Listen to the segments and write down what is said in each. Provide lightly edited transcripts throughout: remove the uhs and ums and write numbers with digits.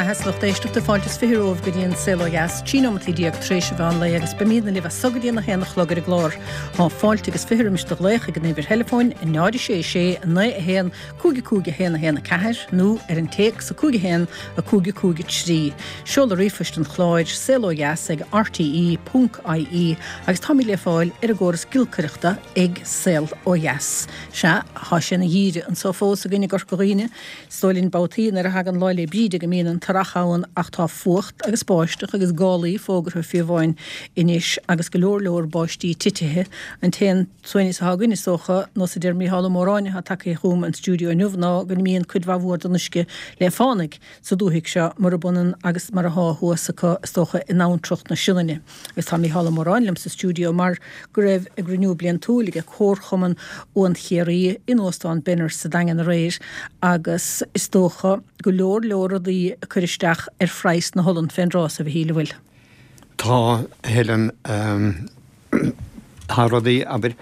beatha is lucht éisteachta, fáilte is 20 romhaibh go dtí an Saol Ó Dheas, 13 nóimeataí tar éis an mheán lae agus beimídne libh as so go dtí an 1 a chlog ar an gclár. Tá fáilte agus 20 roimis do ghlaoch ag an uimhir theileafóin 0 6 6 9 1 5 5 1 1 4 nó ar an téacs 5 1 5 5 3. Seoladh ríomhphoist an chláir, saolodheas ag rte ponc ie agus táimid le fáil ar an gcóras giolcaireachta ag Saol Ó Dheas. Sea, tá sé ina gheimhreadh anso fós againn i gCorca Dhuibhne. Is dóigh linn babhtaí nuair a thagann Lá 'le Bríde go mbíonn an t-earrach ann ach tá fuacht agus báisteach agus gálaí fógartha fiú amháin anois agus go leor leor báistí titithe. An t-aon tsuaimhneas atá againn is dócha, nós a deir Mícheál Ó Móráin atá tagtha chugam an stiúideo inniu ná go n-imíonn cuid mhaith mhór den uisce le fánaigh sa dúthaigh seo murab ionann agus mar atá thuas acu is dócha in abhantrach na Sionainne. Agus tá Mícheál Ó Móráin liom sa stiúideo mar go raibh a gcruinniú bliantúil ag Comharchumann Uan Chiarraí in Óstán Benners sa Daingean aréir agus is dócha go leor leor rudaí ag cur isteach ar phraghas na holann fén dtráth so, a Mhichíl, an bhfuil? Tá, a Helen. Tá rudaí, abair,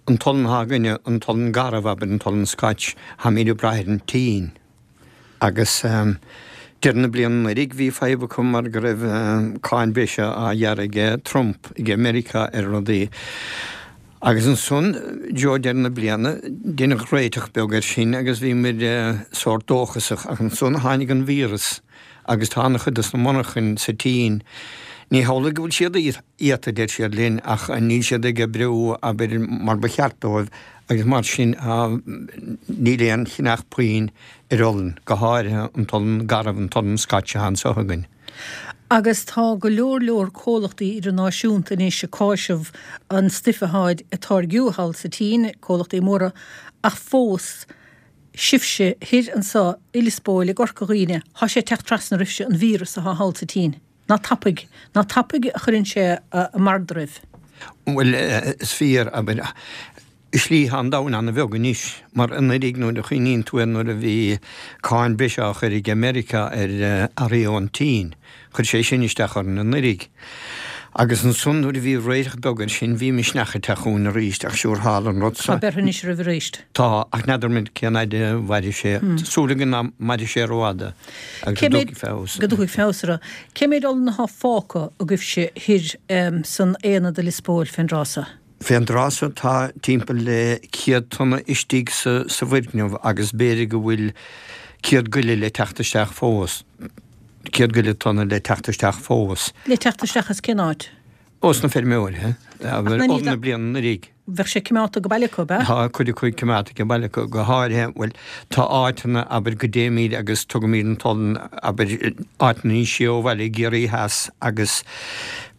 an t-olann atá againne, an t-olann garbh, abair, an t-olann Scotch, táimid ag brath ar an tSín. Agus deireadh na bliana anuraidh bhí fadhb acu mar go raibh cáin bhreise á ghearradh aige Trump ag Meiriceá ar rudaí. Agus ansan, i dtreo deireadh na bliana, deineadh réiteach beag air sin agus bhí muid sórt dóchasach ach ansan tháinig an víreas agus tá an-chuid dos na monarchain sa tSín, ní hamhlaidh go bhfuil siad iata, deir siad linn, ach níl siad ag oibriú, abair, mar ba cheart dóibh agus mar sin níl aon cheannach puinn ar olann, go háirithe an t-olann garbh, an t-olann Scotch atá anso againn. Agus tá go leor leor comhlachtaí idirnáisiúnta anois ag cáiseamh an stuif atáid ag táirgiú thall sa tSín, comhlachtaí móra, ach fós sibhse thoir anso i Lios Póil, i gCorca Dhuibhne, thá sé ag teacht trasna oraibhse, an víreas athá thall sa tSín. Ná tapaidh, ná tapaidh a chuireann sé a mbard oraibh. Bhuel, is fíor, abair, i slí tá an domhan an-bheag anois, mar anuraidh nuair a chuimhníonn tú air nuair a bhí cáin breise á chur ag Meiriceá ar earraí ón tSín, chuir sé sin isteach orainn anuraidh. Agus ansan nuair a bhí réiteach beag air sin bhí misneach ag teacht chugainn arís ach siúr tharla an rud so. Tá beirthe anois oraibh arís. Tá, ach n'fheadar muid cén fhaid a mhairfidh sé. Tá súil againn ná mairfidh sé rófhada agus go dtiocfaidh feabhas. Go dtiocfaidh feabhas orthu. Cé méid olann atá fágtha agaibhse thoir san aonad i Lios Póil fén dtráth so? Fén dtráth so tá timpeall le 100 tonna istigh sa bhfoirgneamh agus b'fhéidir go bhfuil 100 goile le teacht isteach fós. 100 goile tonna le teacht isteach fós. Le teacht isteach as cén áit? Ós na feirmeoirí, olann na bliana anuraidh. Bheadh sé coimeádta age baile acu, ab ea? Tá cuid acu coimeádta age baile acu, go háirithe, bhuel, tá áiteanna, abair, go dtéimid agus tugaimid an t-olann, abair, áiteanna níos sia ó bhaile i gCiarraí Theas agus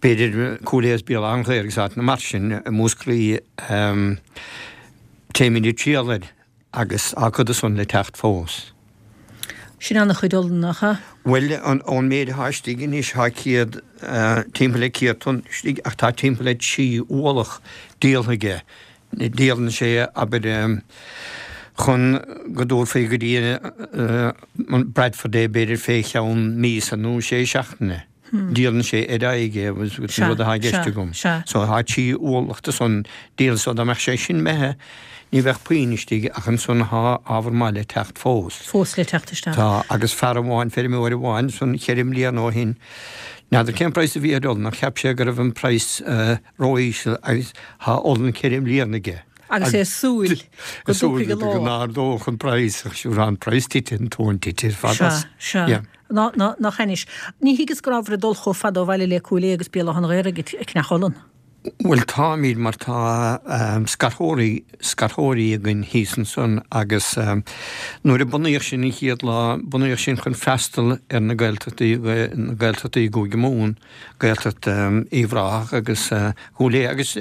b'fhéidir Cúil Aodha is Béal Átha an Ghaorthaidh agus áiteanna mar sin, i Múscraí, téimid ag triall air. Agus tá cuid de san le teacht fós. Sin an-chuid olann, nach ea? Bhuel, ón méid atá istigh anois, tá 100, timpeall le 100 tonna istigh, ach tá timpeall le 3 ualach díoltha aige. Díolann sé, abair, chun go dtabharfaí go dtí an Bradford é, b'fhéidir fé cheann míosa nó sé seachtaine. Díolann sé ar aghaidh é agus an rud atá i gceist agam. So tá 3 ualach de san díolta so dá mbeadh sé sin imithe ní bheadh puinn istigh ach ansan tá ábhar maith le teacht fós. Fós le teacht isteach. Tá agus fear amháin, feirmeoir amháin san cheithre mbliana ó shin, n'fheadar cén praghas a bhí ar olann ach cheap sé go raibh an praghas ró-íseal agus tá olann cheithre mbliana aige. Agus é ag súil go dtiocfaidh an lá. Go n-ardódh an praghas ach siúr tá an praghas tite, an tóin tite ar fad as. Sea, sea. Ná, ná, nach ainnis. Ní thuigeas go rabhabhair ag dul chomh fada ó bhaile le Cúil Aodha agus Béal Átha an Ghaorthaidh ag ceannach olann. Bhuel, táimid, mar tá scarthóirí, scarthóirí againn thíos ansan agus nuair a bunaíodh sinn an chéad lá, bunaíodh sinn chun freastal ar na Gaeltachtaí, na Gaeltachtaí i gCúige Mumhan, Gaeltacht Uíbh Ráthach agus Chúil Aodha agus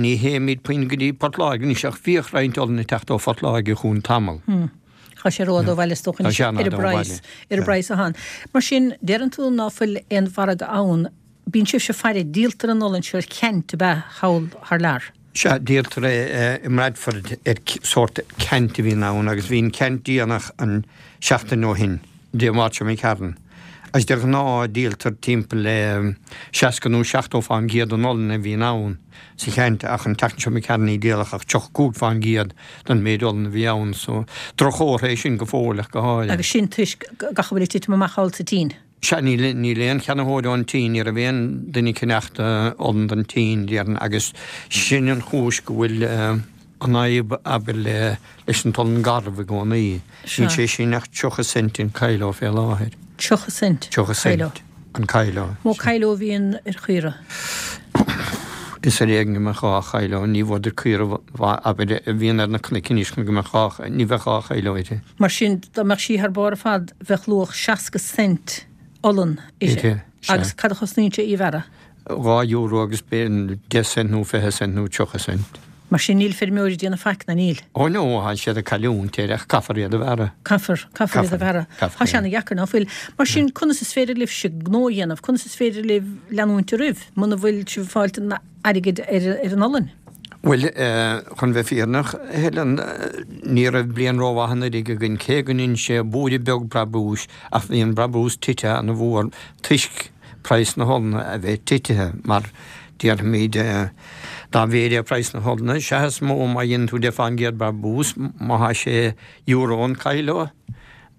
ní théimid puinn go dtí Port Láirge anois ach bhíodh roinnt olann ag teacht ó Phort Láirge chugainn tamall. Tá sé rófhada ó bhaile is dócha anois ar an bpraghas, ar an bpraghas atá ann. Mar sin, deireann tú ná fuil aon mhargadh ann, bíonn sibhse ag faire, díoltar an olann seo ar ceant ab ea thall thar lear? Sea, díoltar é i mBradford ar sórt ceant a bhíonn ann agus bhí an ceant déanach an seachtain ó shin, Dé Máirt seo imigh tharainn. Agus de ghnáth díoltar timpeall le 60 nó 70 fán gcéad den olann a bhíonn ann sa cheantar ach an tseachtain seo imigh tharainn ní díoladh ach 35 fán gcéad den méid olann a bhí ann so droch-chomhartha é sin go fóill ach go háirithe. Agus sin toisc gach a bhfuil ag titim amach thall sa tSín. Sea, níl, níl aon cheannaitheoir ón tSín, ní raibh aon duine ag ceannacht olann don tSín, déarfainn, agus sin an chúis go bhfuil an fhadhb, abair, le, leis an t-olann garbh i gcónaí. Níl sé sin ach 30 cent an kilo fé láthair. 30 cent? 30 cent an kilo. Mó kilo a bhíonn ar chaora? Is ar éigean go mbeadh 2 chilo, ní bhfuadar caora mhaith, abair, a bhíonn ar na cnoic anois chun go mbeadh 2, ní bheadh 2 chilo uirthi. Mar sin, dá mbeadh sí thar barr ar fad, bheadh luach 60 cent olann uirthi. Agus cad a chosnaíonn sé í a bhearradh? €2 agus b'fhéidir 10 cent nó 20 cent nó 30 cent. Mar sin, níl feirmeoirí ag déanamh faic, ná níl? Ó no, tá siad ag cailliúint air ach caithfear iad a bhearradh. Caithfear, caithfear iad a bhearradh. Tá sé ana-dheacair, ná fuil? Mar sin, conas is féidir libhse gnó a dhéanamh? Conas is féidir libh leanúint oraibh muna bhfuil sibh ag fáilt an airgid ar an olann? Bhuel, chun bheith fírinneach, a Helen, ní raibh bliain rómhaith anuraidh againn, cé go ndein sé búire beag brabúis, ach bhí an brabús tite ana-mhór toisc praghas na holann a bheith titithe, mar déarfaimid, dá mhéid é praghas na holann, sea is mó má dhéanann tú 10 fán gcéad brabús, má thá sé euro an kilo,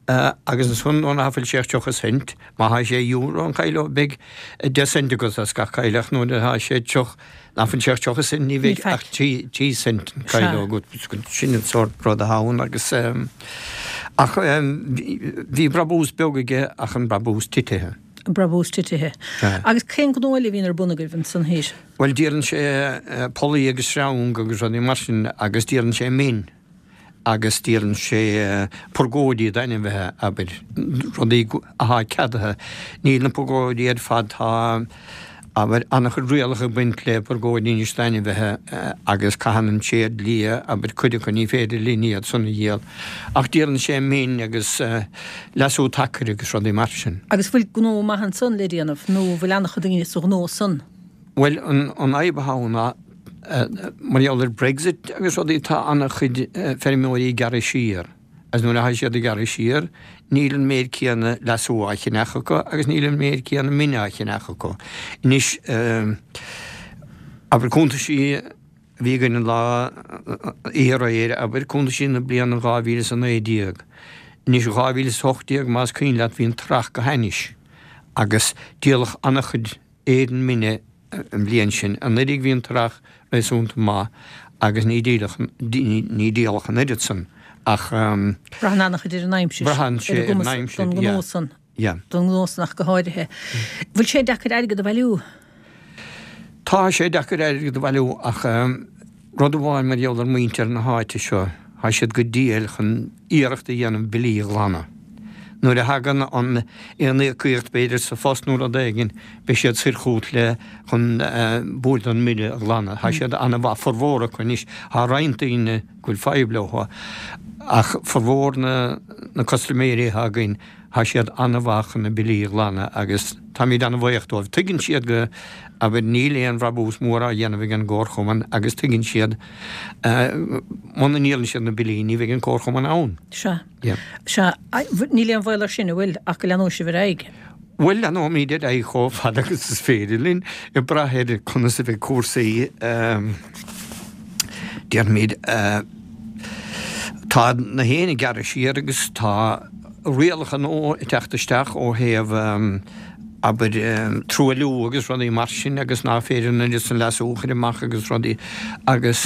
Agus ansan nuair ná fuil sé ach 30 cent, má thá sé euro an kilo, beidh 10 cent agat as gach kilo, ach nuair atá sé tríocha, ná fuil sé ach 30 cent, ní bheidh ach 3 cent an kilo agat. Sin an sórt rud atá ann agus, ach bhí brabús beag aige ach an brabús titithe. An brabús titithe. Agus cén gnó eile a bhíonn ar bun agaibh ansan thoir? Bhuel, díolann sé pollaí agus sreang agus rudaí mar sin agus díolann sé min. agus díolann sé purgóidí d'ainmhithe, abair, rudaí athá ceadaithe. Níl na purgóidí ar fad, tá, abair, an-chuid rialacha ag baint le purgóidí anois d'ainmhithe agus caitheann an téad liath, abair, cuid acu, ní féidir linn iad san a dhíol. Ach díolann sé min agus leasú tacair agus rudaí mar sin. Agus bhfuil gnó maith ansan le déanamh nó bhfuil an-chuid daoine sa ghnó san? Bhuel, an fhadhb atá ann ná, mar gheall ar Brexit agus rudaí, tá an-chuid feirmeoirí ag gearradh siar agus nuair atá siad ag gearradh siar, níl an méid céanna leasú á cheannach acu agus níl an méid céanna mine á cheannach acu. Anois, abair cuntaisí a bhí againn an lá oíche aréir, abair cuntaisí na bliana 2019. Anois 2018, más cuimhin leat, bhí an t-earrach go hainnis agus díoladh an-chuid Éadan mine an bhliain sin. Anuraidh bhí an t-earrach réasúnta maith agus ní díoladh ní díoladh an oiread san ach. Braitheann an-chuid ar an aimsir, Braitheann sé ar an aimsir, don ghnó san, don ghnó san ach go háirithe. Bhfuil sé deacair airgead a bhailiú? Tá sé deacair airgead a bhailiú ach rud amháin mar gheall ar muintir na háite seo, tá siad go diail chun iarracht a dhéanamh billí a ghlanadh. Nuair a thagann an aon íocaíocht b'fhéidir sa phost nó rud éigin, beidh siad soir chugat le chun bualadh an mbille a ghlanadh. Tá siad an-mhaith, formhór acu anois. Tá roinnt daoine go bhfuil fadhb leo ach formhór na na custaiméirí atá againn, Tá siad an-mhaith chun na billí a ghlanadh agus táimid an-bhuíoch dóibh. Tuigeann siad go, abair, níl aon bhrabús mór á dhéanamh ag an gcomharchumann agus tuigeann siad muna ndíolann siad na billí ní bheidh an comharchumann ann. Sea. Sea. Níl aon bhaol air sin, an bhfuil, ach go leanóidh sibh ar aghaidh? Bhuel, leanóimid ar aghaidh chomh fada agus is féidir linn, ag brath ar conas a bheidh cúrsaí, déarfaimid, tá na héin ag gearradh siar agus tá rialacha nua ag teacht isteach ó thaobh, abair, truailliú agus rudaí mar sin agus ná féidir an oiread san leasú a chur amach agus rudaí agus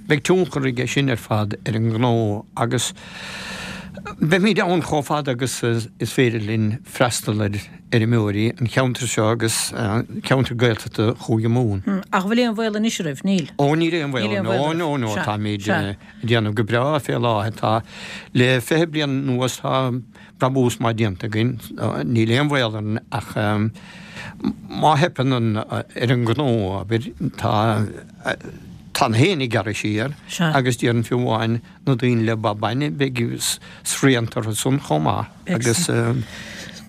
beidh tionchar aige sin ar fad ar an ngnó agus beimid ann chomh fada agus is féidir linn freastal ar fheirmeoirí an cheantair seo agus ceantar Gaeltachta Chúige Mumhan. Ach bhfuil aon bhaol anois oraibh? Níl. Ó níl aon bhaol, no, no, no, táimid ag déanamh go breá fé láthair. Tá, le 20 bliain anuas tá brabús maith déanta againn, níl aon bhaol orainn ach má theipeann an, ar an ngnó, abair, tá, tá na héin ag gearradh siar agus déarfainn fiú amháin na daoine le ba bainne, beidh srianta orthu san chomh maith agus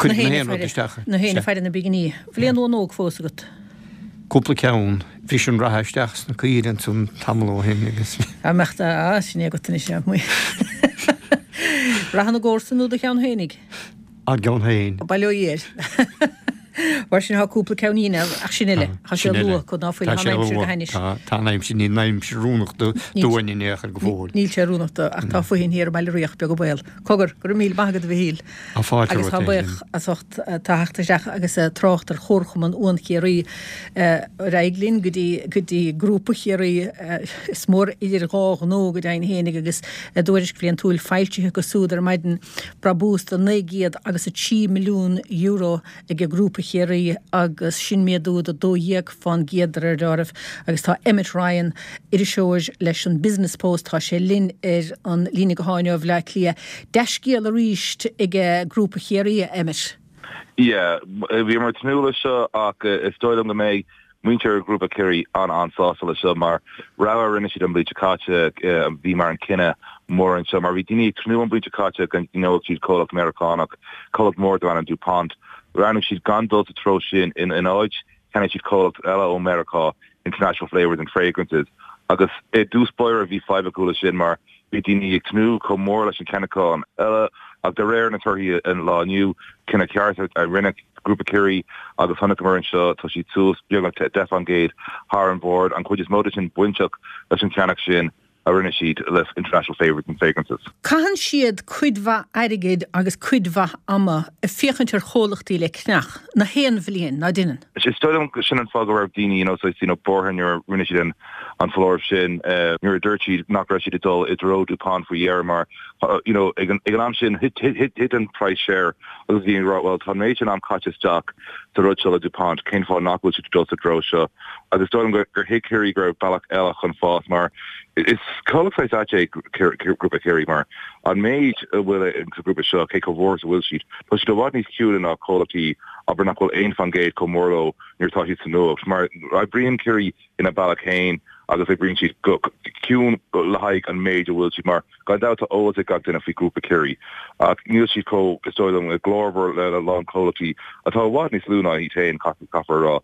cuirfidh na haon rud isteach. Na héin ag faire na bpinginí. Bhfuil aon uan óg fós agat? Cúpla ceann. Bhris an reithe isteach sna caoire ansan tamall ó shin agus. Á mbeadh á, sin é agat anois, a. Reithe na gcomharsan nó do cheann féinig? Ár gceann féin. Bail ó Dhia air. Mar sin, tá cúpla ceann dhínn ach sin uile. Tá sé luath acu ná fuil. Tá an aimsir go hainnis. Tá an aimsir, níl an aimsir oiriúnach dúinn in aon chor go fóill. Níl sé oiriúnach do, ach tá fothain thiar i mBaile Riach, beag an baol. Cogar, go raibh míle maith agat a Mhichíl. Tá fáilte Agus romhat tá buíoch as ucht tú theacht isteach agus trácht ar Chomharchumann Uan Chiarraí. Ar aghaidh linn go dtí, go dtí Grúpa Chiarraí. Is mór idir dhá ghnó go deimhin fhéinig agus a dtuairisc bhliantúil foilsithe acu súd ar maidin. Brabús de €903 milliún ag Grúpa Chiarraí agus sin méadú de 12 fán gcéad de réir deáraimh. Agus tá Emmet Ryan, iriseoir leis an Business Post, tá sé linn ar an líne gutháin ó Bhleá Cliath. Dea-scéal arís ag Grúpa Chiarraí, a Emmet. Yeah, bhíomar ag tnúth leis seo ach is dóigh liom go mbeidh muintir Ghrúpa Chiarraí an-an-sásta leis seo mar rogha a rinne siad an bhliain seo caite a bhí mar an cinneadh mór anseo mar bhí daoine ag tnúth an bhliain seo caite go gceannódh siad comhlacht Meiriceánach, comhlacht mór darb ainm DuPont. Roghnaigh siad gan dul sa treo sin ina áit cheannaigh siad comhlacht eile ó Meiriceá, International Flavors and Fragrances agus i dtús báire bhí fadhb acu leis sin mar Bhí daoine ag tnúth chomh mór leis an cheannachán eile ach de réir na torthaí an lá inniu, cinneadh ceart a rinne Grúpa Chiarraí agus chonaiceamar anseo, tá siad suas beagnach 10% thar an bhord, an chuid is mó de sin bainteach leis an cheannach sin a rinne siad le International Flavors and Fragrances. Caitheann siad cuid mhaith airgid agus cuid mhaith ama ag féachaint ar chomhlachtaí le ceannach, na haon bhliain, ná deineann? Is dóigh liom sin an fáth go raibh daoine you know saghas you know buartha nuair a rinne siad an an foláireamh sin nuair a dúirt siad nach raibh siad ag dul i dtreo DuPont faoi dheireadh mar you know ag an ag an am sin thit thit thit an praghas share agus bhí ag rá well tá an méid sin am caite isteach sa rud seo le DuPont cén fáth nach bhfuil siad ag dul sa treo seo agus is dóigh liom gur gur thuig Chiarraí go raibh bealach eile chun fás mar is comhlacht saghas ait é Grúpa Chiarraí mar an méid a bhfuil sa ghrúpa seo cé chomh mhór is a bhfuil siad tá siad i bhfad níos ciúine ná comhlachtaí abair nach bhfuil aon faoin gcéad chomh mór leo nuair atá siad sa nuacht mar oibríonn Ciarraí ina bealach féin agus oibríonn siad go ciúin le haghaidh an méid a bhfuil siad mar gan dabht tá eolas ag gach duine faoi Ghrúpa Chiarraí ach níl siad chomh, is dóigh liom, glórmhar le a lán comhlachtaí atá i bhfad níos lú ná iad féin, caithfear a rá.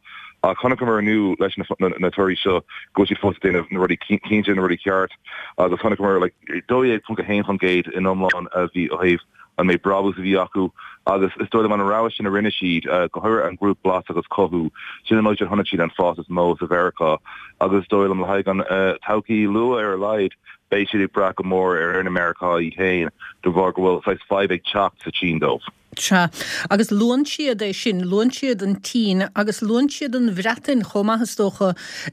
Ach chonaiceamar inniu leis na torthaí seo go bhfuil siad fós ag déanamh na rudaí cinnte, na rudaí ceart agus chonaiceamar like 12.1% in iomlán a bhí ó thaobh an méid brabús a bhí acu agus is dóigh liom an rogha sin a rinne siad, go háirithe an grúp Blas agus Cothú, sin an áit a chonaic siad an fás is mó sa Mheiriceá agus is dóigh liom le haghaidh an todhchaí luath ar a laghad, beidh siad ag brath go mór ar na Meiriceá iad féin de bharr go bhfuil saghas fadhb ag teacht sa tSín dóibh. Sea, agus luann siad é sin, luann siad an tSín agus luann siad an Bhreatain chomh maith is dócha,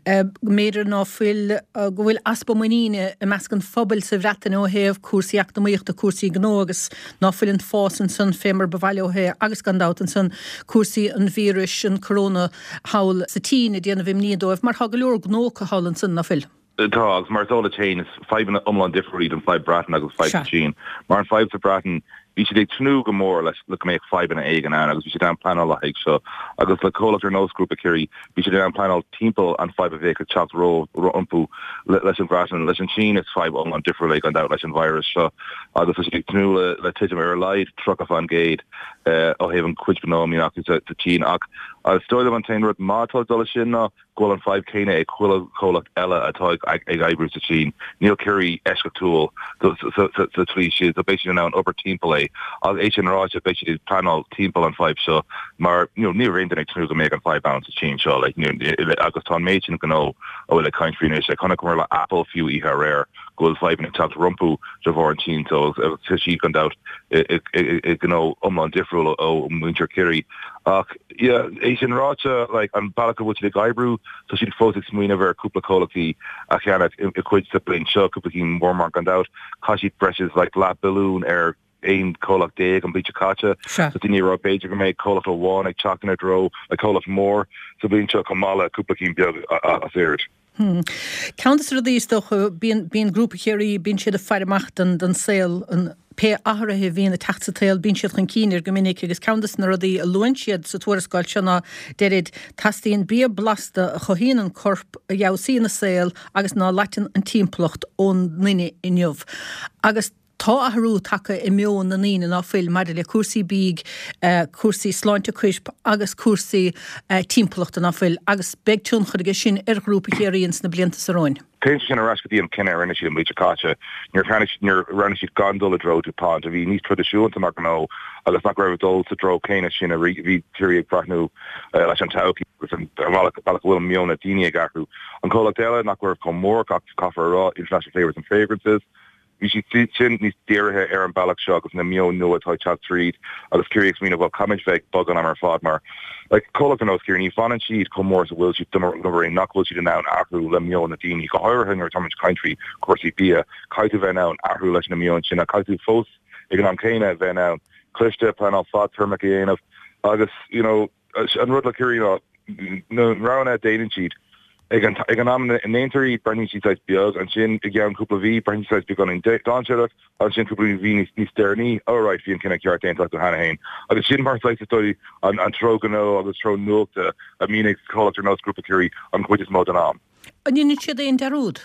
b'fhéidir ná fuil, go bhfuil easpa muiníne i measc an phobail sa Bhreatain ó thaobh cúrsaí eacnamaíochta, cúrsaí gnó agus ná fuil an fás ansan fé mar ba mhaith leo é agus gan dabht ansan cúrsaí an víris, an corona thall sa tSín ag déanamh imní dóibh mar tá go leor gnó acu thall ansan, ná fuil? Tá, agus mar is eol duit féin, is fadhbanna iomlán difriúil iad an fadhb Breatain agus fadhb sa tSín. Mar an fadhb sa Bhreatain, bhí siad ag tnúth go mór leis le go mbeadh fadhbanna éigin ann agus bhí siad in ann pleanáil le haghaidh seo. Agus le comhlacht ar nós Grúpa Chiarraí, bhí siad in ann pleanáil timpeall an fadhb a bheadh ag teacht rompu leis an Bhreatain. Leis an tSín, is fadhb iomlán difriúil é gan dabht leis an virus seo agus tá siad ag tnúth le titim ar a laghad 30% ó thaobh an chuid gnó a mbíonn acu sa tSín. Ach is dóigh liom an t-aon rud maith atá ag dul leis sin ná go bhfuil an fadhb céanna ag chuile chomhlacht eile atá ag oibriú sa tSín. Níl Ciarraí eisceachtúil sa tslí sin, so beidh siad in ann obair timpeall é. Ach é sin ráite, beidh siad ag pleanáil timpeall an fadhb seo mar you know níl aon duine ag tnúth go mbeadh an fadhb ann sa tSín seo like agus tá an méid sin gnó a bhfuil ag caint faoi anois. Like chonaiceamar le Apple fiú oíche aréir go bhfuil fadhbanna ag teacht rompu de bharr an tSín so agus tá siad gan dabht i gnó iomlán difriúil ó mhuintir Chiarraí. Ach yeah, é sin ráite, like, an bealach a bhfuil siad ag oibriú, tá siad fós ag smaoineamh ar cúpla comhlachtaí a cheannach i cuid sa bhliain seo, cúpla cinn mór mar gan dabht, chaith siad breis is like leath billiún ar 11 comhlacht an bhliain seo caite. Sea. So daoine ag rá b'fhéidir go mbeidh comhlacht amháin ag teacht ina dtreo, like comhlacht mór sa bhliain seo chomh maith le cúpla cinn beag as oiread. Ceann de na rudaí is dócha, bíonn, bíonn Grúpa Chiarraí, bíonn siad ag faire amach don, don saol, an, pé athruithe a bhíonn ag teacht sa tsaol, bíonn siad chun cinn air go minic agus ceann de na rudaí a luann siad sa tuarascáil seo ná, deirid, teastaíonn bia blasta a chothaíonn an corp, a fheabhsaíonn an saol agus ná loiteann an timpeallacht ón nduine inniu. Agus. Tá athrú tagtha i meon na ndaoine ná fuil maidir le cúrsaí bídh, cúrsaí sláinte coirp agus cúrsaí timpeallachta ná fuil agus beidh tionchar aige sin ar Ghrúpa Chiarraí ins na blianta seo romhainn. Téann sé sin ar ais go dtí an cinneadh a rinne siad an bhliain seo caite nuair a nuair a roghnaigh siad gan dul i dtreo DuPont, a bhí níos traidisiúnta mar ghnó agus nach raibh ag dul sa treo céanna sin a bhí Ciarraí ag breathnú leis an todhchaí agus an bealach a bhfuil meon na daoine ag athrú. An comhlacht eile nach raibh chomh mór, caithfear a rá, International Flavours and Fragrances, Bhí siad sin níos dírithe ar an bealach seo agus na meoin nua atá ag teacht tríd agus Ciarraí ag smaoineamh, bhuel, caithfimid bheith ag bogadh an am ar fad mar, like, comhlacht ar nós Ciarraí, ní fhanann siad chomh mór is a bhfuil siad dá mba nach bhfuil siad in ann athrú le meon na daoine, go háirithe nuair atáimid ag caint faoi chúrsaí bia, caithfidh tú bheith in ann athrú leis na meoin sin ach caithfidh tú fós ag an am céanna bheith in ann cliste, pleanáil fadtéarmach a dhéanamh agus, you know, An rud le Ciarraí ná na roghanna a déanann siad ag an ag an am a ndéantar iad, breathnaíonn siad saghas beag, ansin i gceann cúpla mhí, breathnaíonn siad saghas beagáinín dainséarach, ansin cúpla mhí níos níos deireanaí, oh right, bhí an cinneadh ceart déanta acu cheana féin. Agus sin mar saghas is dóigh an an treo gnó agus treo nuachta a mbíonn ag comhlacht ar nós Grúpa Chiarraí an chuid is mó den am. An ndéanann siad aon dearúd?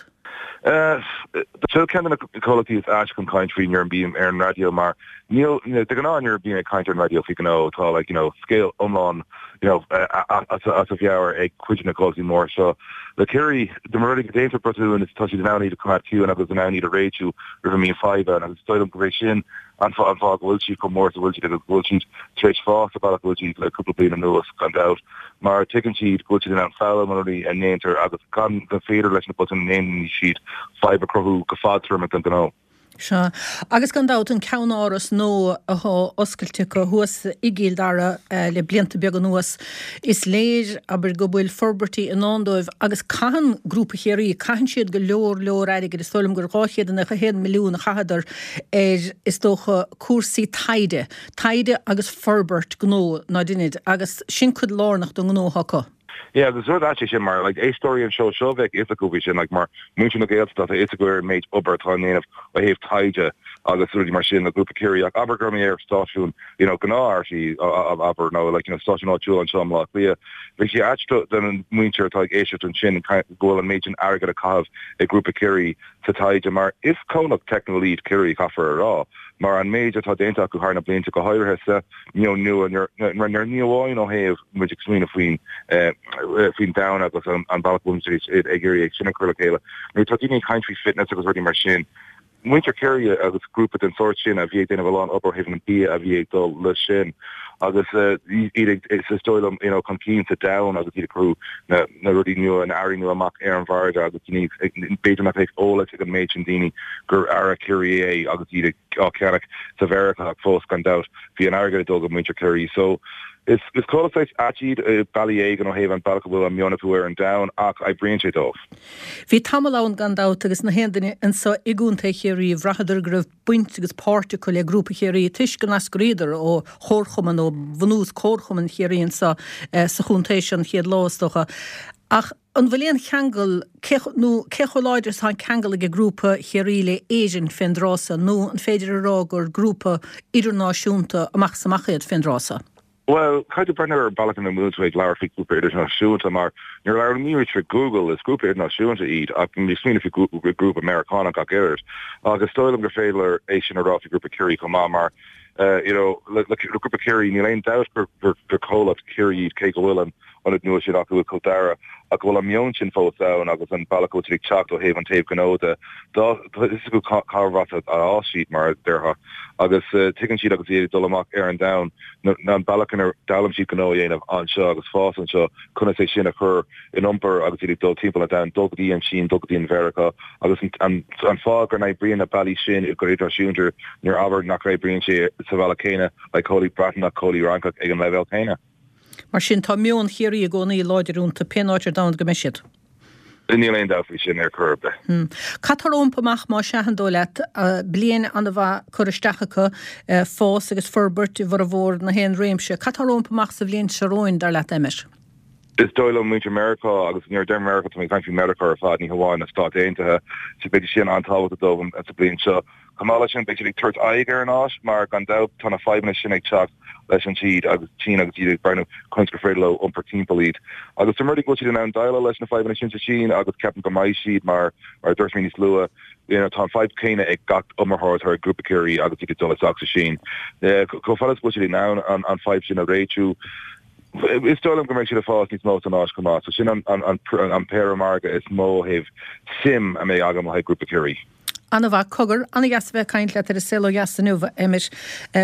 Seo ceann de na comhlachtaí is aite chun caint faoi nuair a bím ar an raidió mar níl, de ghnáth nuair a bím ag caint ar an raidió faoi ghnó tá like you know scéal iomlán you know as a mheabhair ag cuid de na comhlachtaí móra seo. Le Ciarraí, dá mba rud é go déantar botún is tá siad in ann iad a choimeád ciúin agus in ann iad a réitiú roimh a mbíonn fadhb ann agus is dóigh liom gurb é sin an fáth go bhfuil siad chomh mór is a bhfuil siad agus go bhfuil siad tar éis fás sa bhealach go bhfuil siad le cúpla bliain anuas, gan dabht, mar tuigeann siad go bhfuil siad in ann foghlaim ó na rudaí a ndéantar agus gan gur féidir leis na botúin a ndéanann siad fadhb a chruthú go fadtéarmach don ghnó. Sea. Agus gan dabht an ceannáras nua athá oscailte acu thuas i gCill Dara le blianta beaga anuas, is léir, abair, go bhfuil forbairtí i ndán dóibh agus caitheann Grúpa Chiarraí, caitheann siad go leor leor airgid, is dóigh liom gur 291 milliún a chaitheadar ar, is dócha, cúrsaí taighde, taighde agus forbairt gnó, ná deinid, agus sin cuid lárnach den ngnó atá acu. Yeah, agus rud ait é sin mar, like, éisteoirí an seó seo bheadh fhios acu faoi sin, like, mar muintir na Gaeltachta tá fhios acu ar an méid obair atá á ndéanamh ó thaobh taighde agus rudaí mar sin le Grúpa Ciarraí ach abair go raibh mé ar stáisiún, you know, gnáth RTÉ, abair, nó like, you know, stáisiún áitiúil anseo i mBleá Cliath, bheadh sé ait do, don mhuintir atá ag éisteacht ansin go bhfuil an méid sin airgid á caitheamh ag Grúpa Ciarraí sa taighde mar is comhlacht teicniúil iad Ciarraí, caithfear a rá, mar an méid atá déanta acu thar na blianta, go háirithe sa meon nua, nuair ní amháin ó thaobh muid ag smaoineamh faoin faoin domhan agus an bealach go bhfuil muid ag iarraidh é sin a chur le chéile, nuair atá daoine ag caint faoi fitness agus rudaí mar sin, muintir Chiarraí agus grúpa den sórt sin a bhí ag déanamh a lán obair ó thaobh an bia a bhí ag dul leis sin agus iad ag, is dóigh liom, you know, chun cinn sa domhan agus iad ag cur na na rudaí nua, na earraí nua amach ar an mhargadh agus daoine ag, b'fhéidir nach mbeadh eolas ag an méid sin daoine gur earra Chiarraí é agus iad ag á cheannach sa Mheiriceá ach fós gan dabht bhí an airgead ag dul go muintir Chiarraí. So is is comhlacht saghas ait iad i bealaí éigin ó thaobh an bealach a bhfuil an meon acu ar an domhan ach oibríonn sé dóibh. Bhí tamall ann gan dabht agus na haon duine anso i gContae Chiarraí bhraitheadar go raibh baint agus páirt acu le Grúpa Chiarraí toisc go n-eascraíodar ó chomharchumann, ó bhunús Comharchumann Chiarraí anso sa chontae seo an chéad lá is dócha. Ach an bhfuil aon cheangal, cé, nó cé chomh láidir is atá an ceangal ag Grúpa Chiarraí le Éirinn fén dtráth so, nó an féidir a rá gur grúpa idirnáisiúnta amach is amach iad fén dtráth so? Bhuel, caithfidh tú breathnú ar an bealach ina bhfuil tú ag labhairt faoi grúpa idirnáisiúnta mar nuair a labhraímid faoi Google, is grúpa idirnáisiúnta iad ach bímid ag smaoineamh faoi grúpa Meiriceánach ach oiread. Ach is dóigh liom gur féidir é sin a rá faoi Grúpa Chiarraí chomh maith mar you know le Grúpa Chiarraí níl aon dabht gur comhlacht Chiarraí iad cé go bhfuil an ionad nua sin acu i gCill Dara ach go bhfuil an meon sin fós ann agus an bealach go bhfuil siad ag teacht ó thaobh an taobh gnó de. Tá fhios acu cárbh as a d'fhás siad, mar a déarfá, agus tuigeann siad agus iad ag dul amach ar an domhan an bealach inar d'fhoghlaim siad gnó a dhéanamh anseo agus fás anseo, conas é sin a chur in iompar agus iad ag dul timpeall an domhain, dul go dtí an tSín, dul go dtí an Mheiriceá agus an fáth go n-oibríonn na bealaí sin go hidirnáisiúnta nuair abair nach n-oibríonn sé sa bhealach céanna le comhlacht Breatnach, comhlacht Fhrancach ag an leibhéal céanna. Mar sin, tá meon Chiarraí i gcónaí láidir iontu, pén áit ar domhan go mbeidh siad. Níl aon dabht faoi sin ar chor ar bith. Cad tá rompu amach, más ea, an dóigh leat? Bliain an-mhaith curtha isteach acu, fás agus forbairt i bhformhór na haon réimse. Cad tá rompu amach sa bhliain seo romhainn, dar leat, Emmet? Is dóigh liom muintir Meiriceá, agus nuair a deirim Meiriceá tá mé ag caint faoi Meiriceá ar fad, ní hamháin na Stáit Aontaithe, so beidh sé sin an-tábhachtach dóibh sa bhliain seo. Chomh maith leis sin, beidh siad ag tabhairt aghaidh ar an Áis mar, gan dabht, tá na fadhbanna sin ag teacht leis an Tsín agus tSín agus iad ag breathnú conas gur féidir leo iompar timpeall iad. Agus dá mba rud é go bhfuil siad in ann déileáil leis na fadhbanna sin sa tSín agus ceapaim go mbeidh siad mar, mar a dúirt mé níos luaithe, you know, tá an fadhb chéanna ag gach iomaitheoir atá ag Grúpa Chiarraí agus iad ag dul isteach sa Sín. Chomh fada is go bhfuil siad in ann an fadhb sin a réitiú. Is dóigh liom go mbeidh siad ag fás níos mó san Áis chomh maith, so sin an an péire margaidh is mó ó thaobh suim a mbeidh agam le haghaidh Grúpa Chiarraí. An-mhaith. Cogar, an-dheas a bheith ag caint leat ar An Saol Ó Dheas inniu, a Emmet.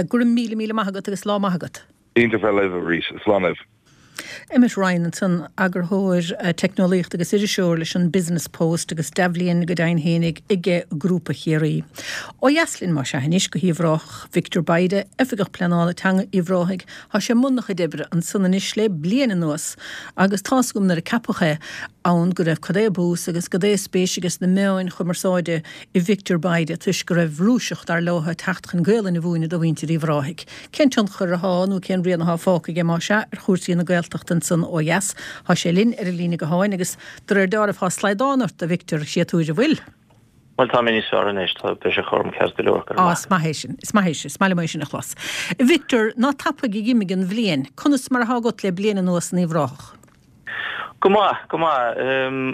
Go raibh míle, míle maith agat agus lá maith agat. Iontach bheith libh arís. Slán libh. Emmet Ryan ansan, eagarthóir teicneolaíochta agus iriseoir leis an Business Post agus dea-bhliain go deimhin fhéinig aige Grúpa Chiarraí. Ó dheas linn más ea anois go hUíbh Ráthach, Victor Bayda, Oifigeach Pleanála Teanga Uíbh Ráthaigh. Tá sé i mbun a chuid oibre ansan anois le bliain anuas agus tá's agam nuair a ceapadh é ann go raibh cad é bús agus cad é spéis aige sna meáin chumarsáide i Victor Bayda toisc go raibh Rúiseach, dar leo, ag teacht chun Gaolainn a mhúineadh do mhuintir Uíbh Ráthaigh. Cén tionchar athá, nó cén rian athá fágtha aige, más ea, ar chúrsaí na Gaeltachta ansan ó dheas? Thá sé linn ar an líne gutháin agus de réir deáraimh thá slaghdán ort, a Victor, séatúir, an bhfuil? Bhuel, tá mé níos fearr anois, tá, beidh sé chugam ceart go leor, go raibh maith. Á, is maith é sin, is maith é sin, is maith liom é sin a chlos. A Victor, ná tapaidh a dh'imigh an bhliain, conas mar athá agat le bliain anuas in Uíbh Ráthach? Go maith, go maith.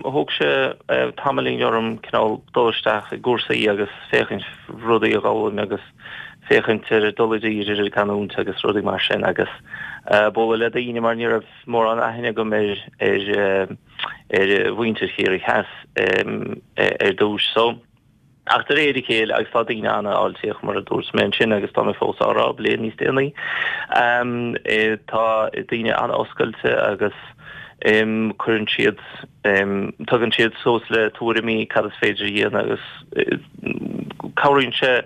Thóg sé tamaillín orm cineál dul isteach i gcúrsaí agus féachaint rudaí a dh'fhoghlaim agus féachaint ar dul i dtír ar an gcanúint agus rudaí mar sin agus bualadh le daoine mar ní raibh mórán aithne agam ar ar ar mhuintir Chiarraí Theas ar dtús. So. Ach de réir a chéile, agus tá daoine an-fháilteach, mar a dúirt mé ansin agus tá mé fós á rá bliain níos déanaí, tá daoine an-oscailte agus cuireann siad, tagann siad suas le tuairimí cad is féidir a dhéanamh agus cabhraíonn sé,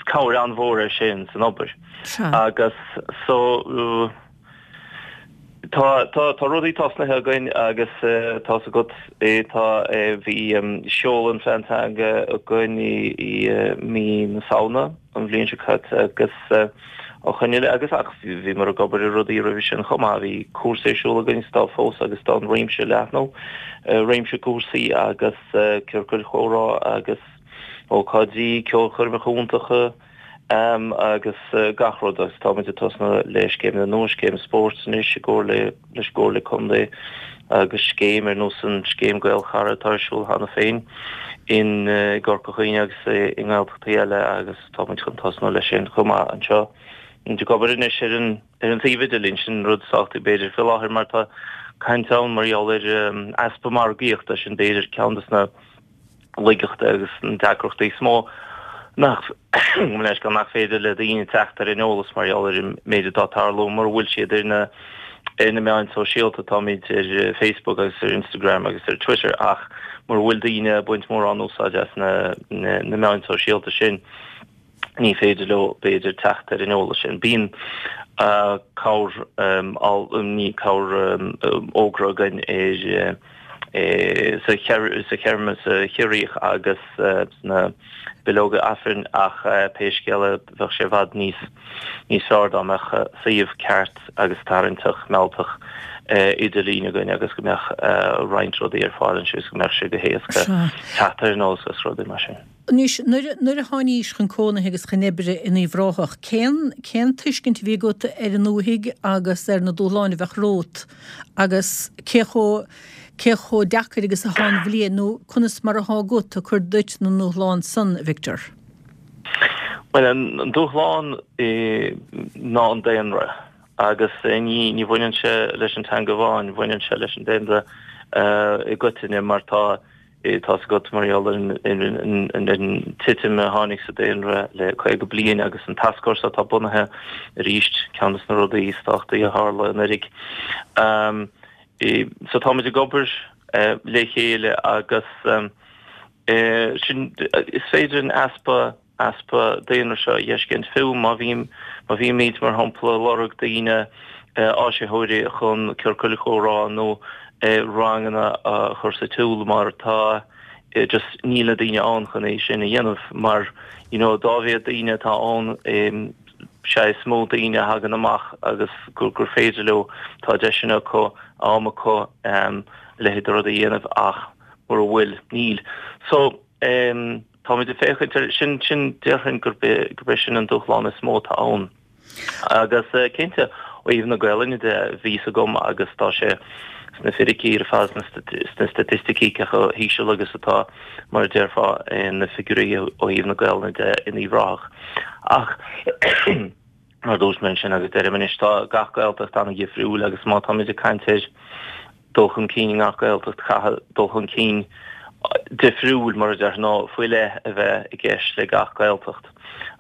cabhair an-mhór é sin san obair. Agus so. Tá, tá, tá rudaí tosnaithe againn agus tá's agat, tá, bhí seoladh an phlean teanga againn i mí na Samhna an bhliain seo caite agus á choinne le, agus ach bhíomar ag obair ar rudaí roimhe sin chomh maith, bhí cúrsa ar siúl againn is tá fós agus tá an réimse ag leathnú, réimse cúrsaí agus ciorcail chomhrá agus ócáidí, ceolchoirmeacha iontacha. agus gach rud agus táimid ag tosnú le scéimeanna nua, scéim spóirt anois i gcomhar le leis an gComhairle Contae agus scéim ar nós an scéim Gaelchara atá ar siúl cheana féin in i gCorca Dhuibhne agus i nGaeltachtaí eile agus táimid chun tosnú leis sin chomh maith anseo. Táimid ag obair anois ar an ar an suíomh idirlín, sin rud is tábhachtaí b'fhéidir faoi láthair mar tá caint ann mar gheall ar easpa margaíochta, sin b'fhéidir ceann de na laigeachtaí agus na deacrachtaí is mó nach nach féidir le daoine teacht ar an eolas mar gheall ar an méid atá ag tarlú mura bhfuil siad ar na ar na meáin sóisialta, táimid ar Facebook agus ar Instagram agus ar Twitter ach mura bhfuil daoine ag baint mórán úsáid as na na meáin sóisialta sin ní féidir leo, b'fhéidir, teacht ar an eolas sin. Bíonn cabhair, ní cabhair, fhógra againn ar sa sa Chiarraíoch agus sna bileoga Aifrinn ach pé scéal é bheadh sé i bhfad níos níos fearr dá mbeadh suíomh ceart agus tarraingteach mealltach idirlín againn agus go mbeadh roinnt rudaí ar fáil ansin agus go mbeadh sé go héasca teacht ar an eolas agus rudaí mar sin. Anois, nuair, nuair a tháinís chun cónaithe agus chun oibre in Uíbh Ráthach, cén, cén tuiscint a bhí agat ar an ndúthaigh agus ar na dúshláin a bheadh romhat agus cé chomh, cé chomh deacair agus athá an bhliain nó conas mar athá agat ag cur duit na ndúshlán san, a Victor? Bhuel, an dúshlán ná an daonra agus ní, ní bhaineann sé leis an teanga amháin, bhaineann sé leis an daonra i gcoitinne mar tá, Tá's agat, mar gheall ar an titim a tháinig sa daonra le 50 bliain agus an tascfhórsa atá bunaithe arís, ceann de na rudaí is tábhachtaí a tharla anuraidh. So táimid ag obair le chéile agus sin, is féidir an easpa easpa daonra seo a fheiscint fiú má bhím, má bhímid, mar shampla, ag lorg daoine, áisitheoirí chun ciorcail chomhrá nó ranganna a chur sa tsiúl mar tá just níl na daoine ann chun é sin a dhéanamh mar you know dá mhéad daoine atá ann sea is mó daoine a thagann amach agus gur gur féidir leo, tá deiseanna acu, am acu a leithéid de rud a dhéanamh ach mura bhfuil, níl. So. Táimid ag féachaint air sin, sin, déarfainn gurb é, gurb é sin an dúshlán is mó atá ann. Agus cinnte, ó thaobh na Gaelainne de, bhí fhios agam agus tá sé sna fíricí ar fad, sna staitisticí cé chomh híseal agus atá, mar a déarfá, na figiúirí ó thaobh na Gaelainne de in Uíbh Ráthach. Ach. Mar a dúirt mé ansin agus deirim anois, tá gach Gaeltacht an-dhifriúil agus má táimid ag caint ar dul chun cinn i ngach Gaeltacht, caithfidh dul chun cinn difriúil, mar a déarfá, nó faoi leith a bheith i gceist le gach Gaeltacht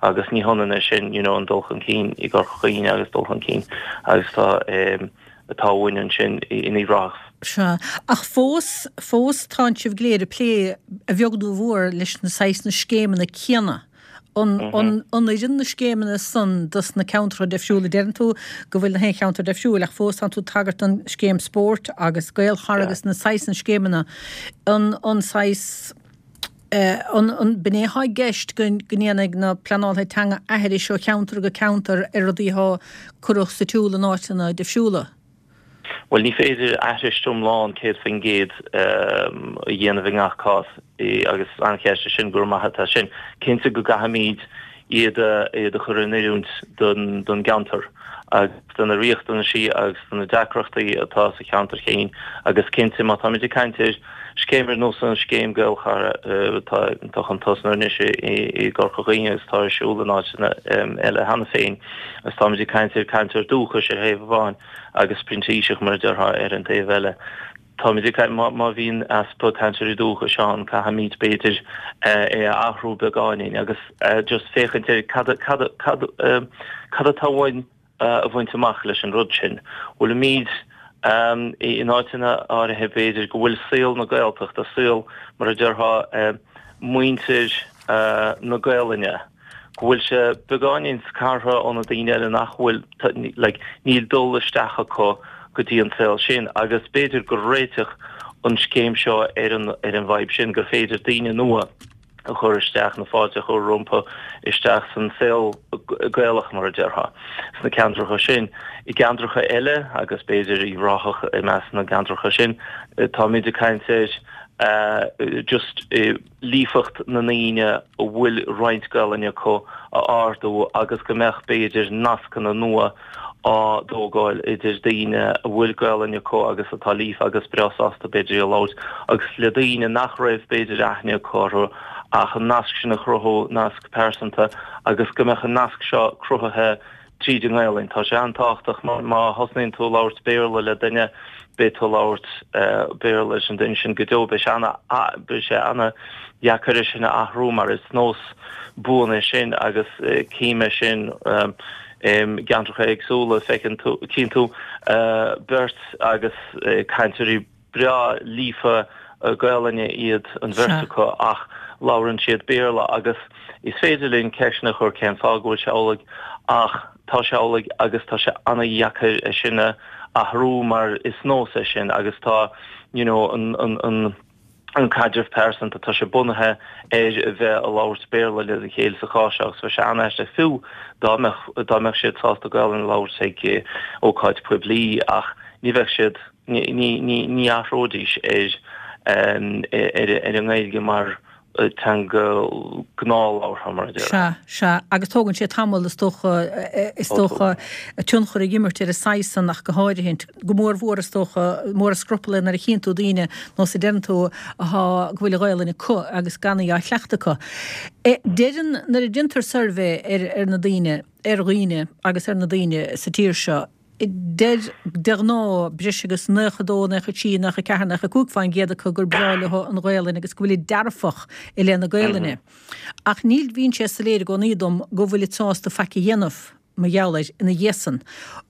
agus ní hionann é sin, you know, an dul chun cinn i gCorca Dhuibhne agus dul chun cinn agus tá atá uainn ansin in Uíbh Ráthach. Sea. Ach fós, fós tánn sibh go léir ag plé, a bheag nó a mhór, leis na saghas na scéimeanna céanna. An oireann na scéimeanna san dos na ceantracha difriúla? Deireann tú go bhfuil na haon cheantar difriúil ach fós tánn tú ag tagairt don scéim spóirt agus Gaelchara agus na saghas na scéimeanna. An an saghas an an b'in é atá i gceist go ndéanfaidh na pleanálaithe teanga aithris ó cheantar go ceantar ar rudaí atá curtha sa tsiúl in áiteanna difriúla? Bhuel, ní féidir aithris iomlán 100% a dhéanamh i ngach cás agus an-cheist é sin, go raibh maith agat as sin. Cinnte go gcaithfimid iad a chur in oiriúint don gceantar agus do na riachtanaisí agus do na deacrachtaí atá sa cheantar féin agus cinnte má táimid ag caint ar scéim ar nós an scéim Gaelchara atá chun tosnú anois i gCorca Dhuibhne agus atá ar siúl in áiteanna eile cheana féin agus táimid ag caint ar cainteoir dúchais ar thaobh amháin agus printíseach mar a déarfá ar an taobh eile. Táimid ag caint, má bhíonn easpa cainteoirí dúchais ann, caithfimid b'fhéidir é a athrú beagáinín agus just féachaint ar cad, cad, cad, cad atá uainn a bhaint amach leis an rud sin. Bhfuilimid in áiteanna áirithe b'fhéidir go bhfuil saol na Gaeltachta, saol mar a déarfá muintir na Gaelainne, go bhfuil sé beagáinín scartha ó na daoine eile nach bhfuil, like, níl dul isteach acu go dtí an saol sin agus b'fhéidir gur réiteach an scéim seo ar an, ar an bhfadhb sin, gur féidir daoine nua a chur isteach, na fáilte a chur rompu isteach san saol Gaelach, mar a déarfá, sna ceantracha sin. I gceantracha eile, agus b'fhéidir Uíbh Ráthach i measc na gceantracha sin, táimid ag caint ar just, líofacht na ndaoine a bhfuil roinnt Gaelainne acu a ardú agus go mbeadh, b'fhéidir, nascanna nua á dtógáil idir daoine a bhfuil Gaelainn acu agus atá líofa agus breá sásta, b'fhéidir, í a labhairt agus le daoine nach raibh, b'fhéidir, aithne acu orthu ach an nasc sin a chruthú, nasc pearsanta agus go mbeadh an nasc seo cruthaithe tríd an nGaelainn. Tá sé an-tábhachtach mar má thosnaíonn tú ag labhairt Béarla le duine, beidh tú ag labhairt Béarla leis an duine sin go deo. Beidh sé ana, beidh sé ana-dheacair é sin a athrú mar is nós buan é sin agus cím é sin i gceantracha éagsúla. Feiceann tú, cíonn tú beirt agus cainteoirí breá líofa Gaelainne iad an bheirt acu ach labhrann siad Béarla agus is féidir linn ceisteanna a chur cén fáth go bhfuil sé amhlaidh ach tá sé amhlaidh agus tá sé an-dheacair é sin a athrú mar is nós é sin agus tá you know an an an an caidreamh pearsanta tá sé bunaithe ar a bheith ag labhairt Béarla le chéile sa chás seo agus bheadh sé an-aisteach fiú dá mbeadh dá mbeadh siad sásta Gaelainn a labhairt ag ócáid poiblí ach ní bheadh siad Ní athróidís ar an nGaeilge mar teanga gnáthlabhartha, mar a déarfá. Sea, sea. Agus tógann sé tamall, is dócha, is dócha, tionchar ag imirt ar an saghas san ach go háirithe. Go mór mhór, is dócha, mór an scrupall é nuair a chíonn tú daoine, nós a deireann tú, athá, go bhfuil an Ghaelainn acu agus gan í á chleachtadh acu. Deireann, nuair a déantar suirbhé ar, ar na daoine, ar dhaoine agus ar na daoine sa tír seo, Deir, de ghnáth, breis agus 92, 93, 94, 95% acu gur breá leo an Ghaelainn agus go bhfuilid dearfach i leith na Gaelainne. Ach níl, bíonn sé soiléir i gcónaí dom go bhfuilid sásta faic a dhéanamh mar gheall air ina dhiaidh san.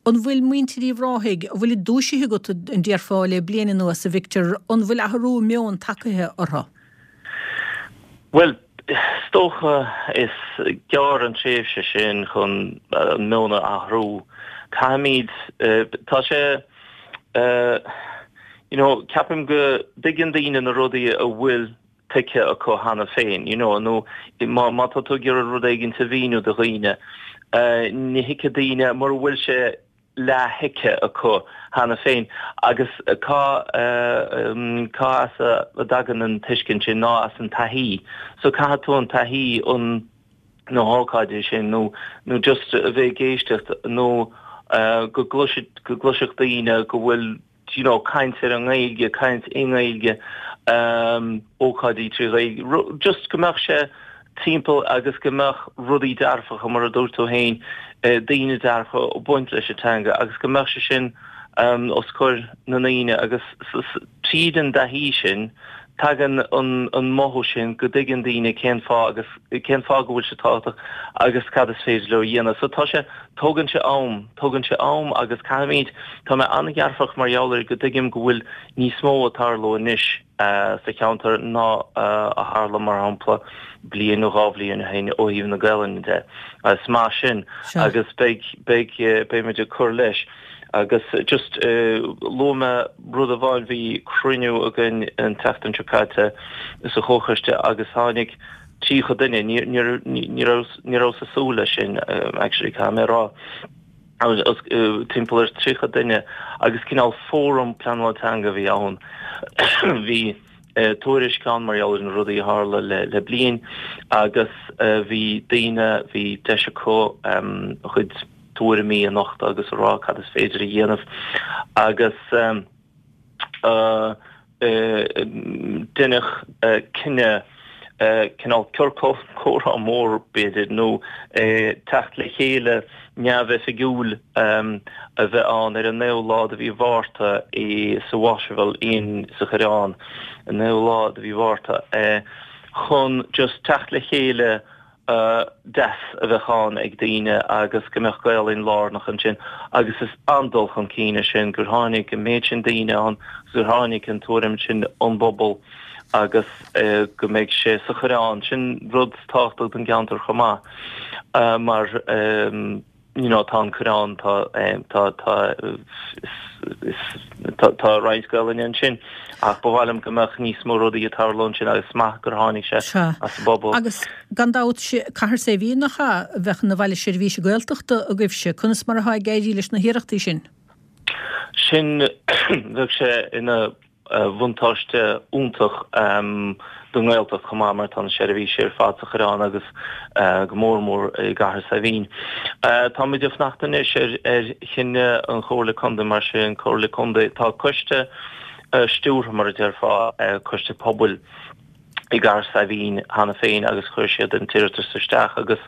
An bhfuil muintir Uíbh Ráthaigh, an bhfuilid dúisithe agat, an déarfá, le bliain anuas, a Victor, an bhfuil athrú meoin tagtha orthu? Bhuel, is dócha is gearr an tréimhse sin chun an meon a athrú. Caithfimid, tá sé, you know, ceapaim go dtuigeann daoine na rudaí a bhfuil tuigthe acu cheana féin, you know, nó má, má tá tú ag iarraidh rud éigin a mhíniú do dhaoine, ní thuigfidh daoine mura bhfuil sé leath-thuigthe acu cheana féin. Agus cá cá as a dtagann an tuiscint sin ná as an taithí. So caithfidh tú an taithí an na hócáidí sin nó nó just a bheith ag éisteacht nó go gcloisfidh go gcloisfeadh daoine go bhfuil you know caint ar an nGaeilge, caint i nGaeilge, ócáidí trí Ghaeilge, just go mbeadh sé. timpeall agus go mbeadh rudaí dearfacha, mar a dúirt tú féin, daoine dearfacha ag baint leis an teanga agus go mbeadh sé sin os comhair na ndaoine agus tríd an dtaithí sin tagann an mothú sin go dtuigeann daoine cén fáth agus cén fáth go bhfuil sé tábhachtach agus cad is féidir leo a dhéanamh. So tá sé, tógann sé am, tógann sé am agus caithfimid, tá mé an-dhearfach mar gheall air go dtuigim go bhfuil níos mó ag tarlú anois sa cheantar ná a tharla mar shampla bliain nó dhá bhliain ó shin ó thaobh na Gaelainne de. Is maith sin agus beidh, beidh, beimid ag cur leis. Agus just luaigh mé rud amháin, bhí cruinniú againn an tseachtain seo caite sa chomhchoiste agus tháinig 30 duine, ní, ní, ní raibh, ní rabhas ag súil leis sin actually caithfidh mé a rá, timpeall ar 30 duine agus cineál fóram pleanála teanga a bhí ann. Bhí tuairisc ann mar gheall ar na rudaí a tharla le bliain agus bhí daoine, bhí deis acu a gcuid tuairimí a nochtadh agus a rá cad is féidir a dhéanamh agus deineadh cinneadh cineál ciorcal comhrá mór b'fhéidir nó teacht le chéile neamhoifigiúil a bheith ann ar an naoú lá de mhí Mhárta i sa Waterville Inn sa Choireán, an naoú lá de mhí Mhárta chun just teacht le chéile deas a bheadh ann ag daoine agus go mbeadh Gaolainn lárnach ansin agus is an-dul chun cinn é sin gur tháinig an méid sin daoine ann agus gur tháinig an tuairim sin ón bpobal agus go mbeidh sé sa Choireán. Sin rud tábhachtach don gceantar chomh maith mar you know tá an Coireán, tá tá tá tá tá roinnt Gaelainne ansin ach ba mhaith liom go mbeadh níos mó rudaí ag tarlú ansin agus is maith gur tháinig sé Sea. as an bpobal. Agus gan dabht, Cathair Saidhbhín nach ea, a bheadh ina bhaile seirbhíse Gaeltachta agaibhse, conas mar atá ag éirí leis na hiarrachtaí sin? Sin, bheadh sé ina bhuntáiste iontach don nGaeltacht chomh maith mar tá na seirbhísí ar fad sa Choireán agus go mór mór i gCathair Saidhbhín. Táimid ag fanacht anois ar chinneadh an Chomhairle Contae mar sin Comhairle Contae tá coiste stiúrtha mar a déarfá, coiste pobail i gCathair Saidhbhín cheana féin agus chuir siad an t-iarratas isteach agus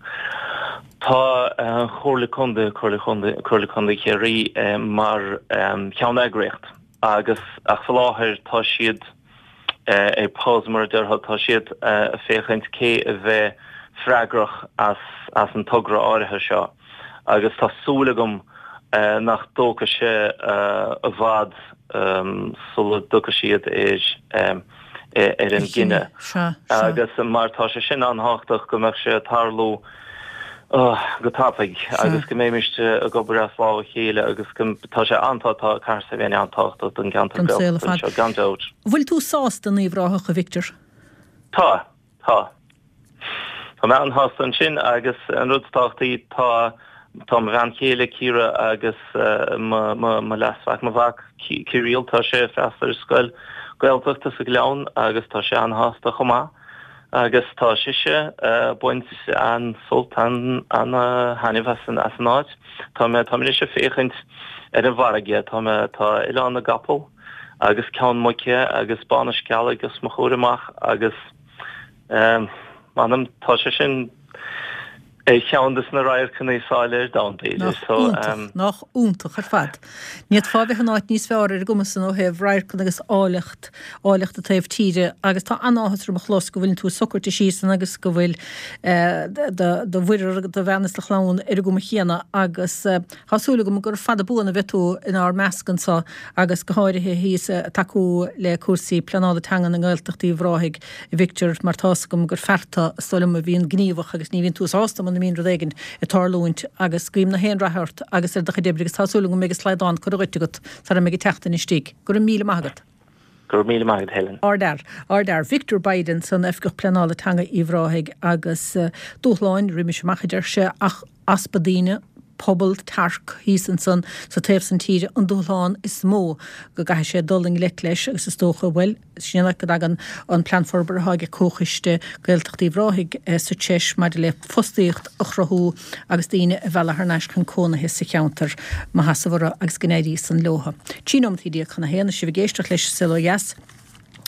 tá an Chomhairle Contae, Comhairle Contae Chiarraí mar cheanneagraíocht. Agus, ach faoi láthair tá siad ar pause mar a déarfá, tá siad ag féachaint cé a bheidh freagrach as as an togra áirithe seo agus tá súil agam nach dtógfaidh sé i bhfad sula dtiocfaidh siad ar ar an gcinneadh. Agus mar tá sé sin an-thábhachtach go mbeadh sé ag tarlú go tapaidh agus go mbeimis ag obair as lámh a chéile agus go tá sé an-tá tá Cathair Saidhbhín an-tábhachtach don gceantar Gaeltachta anseo gan dabht. Bhfuil tú sásta in Uíbh Ráthach, a Victor? Tá, tá. Tá mé an-shásta ansin agus an rud is tábhachtaí tá tá mo bhean chéile Ciara agus mo mo mo leasmhac, mo mhac Kirill, tá sé ag freastal ar scoil Gaeltachta sa Ghleann agus tá sé an-shásta chomh maith. Agus tá sise ag baint an-sult, an-thaitneamh as an áit. Tá mé, tá mé anois ag féachaint ar an bhfarraige, tá mé, tá Oileán na gCapall agus Ceann Muice agus Bá na Scealaigh os mo chomhair amach agus m'anam, tá sé sin ar cheann de na radharcanna is áille ar domhan, b'fhéidir. Nach iontach, nach iontach ar fad. Ní fhéadfá a bheith in áit níos fearr ar an gcuma san ó thaobh radharcanna agus áilleacht, áilleacht an taobh tíre agus tá an-áthas orm a chlos go bhfuileann tú socraithe síos ann agus go bhfuil do, do mhuirear, do bhean is do chlann ar an gcuma chéanna agus tá súil agam gur fada buan a bheidh tú inár measc anso agus go háirithe thíos ag tacú le cúrsaí pleanála teanga i nGaeltacht Uíbh Ráthaigh. a Victor, mar tá's agam gur fear tú, is dóigh liom, a bhíonn gníomhach agus ní bhíonn tú sásta muna mbíonn rud éigin ag tarlúint agus guím na haon rath ort agus ar do chuid oibre agus tá súil agam go mbeidh an slaghdán curtha dhuit agat sara mbeidh an tseachtain istigh. Go raibh míle maith agat. Go raibh míle maith agat, Helen. Ardfhear. Ardfhear. Victor Biden san Oifigeach Pleanála Teanga Uíbh Ráthaigh agus dúshláin roimis amach a deir sé ach easpa daoine, pobal tearc thíos ansan sa taobh san tíre an dúshlán is mó go gcaithfidh sé dul i ngleic leis agus is dócha, bhuel, sin an áit go dtagann an plean forbartha atá ag Comhchoiste Gaeltacht Uíbh Ráthaigh sa treis maidir le fostaíocht a chruthú agus daoine a mhealladh thar n-ais chun cónaithe sa cheantar. Mo sheasamh orthu agus go n-éirí san leothu. 13 nóimeataí chun a haon, is sibh ag éisteacht leis An Saol Ó Dheas.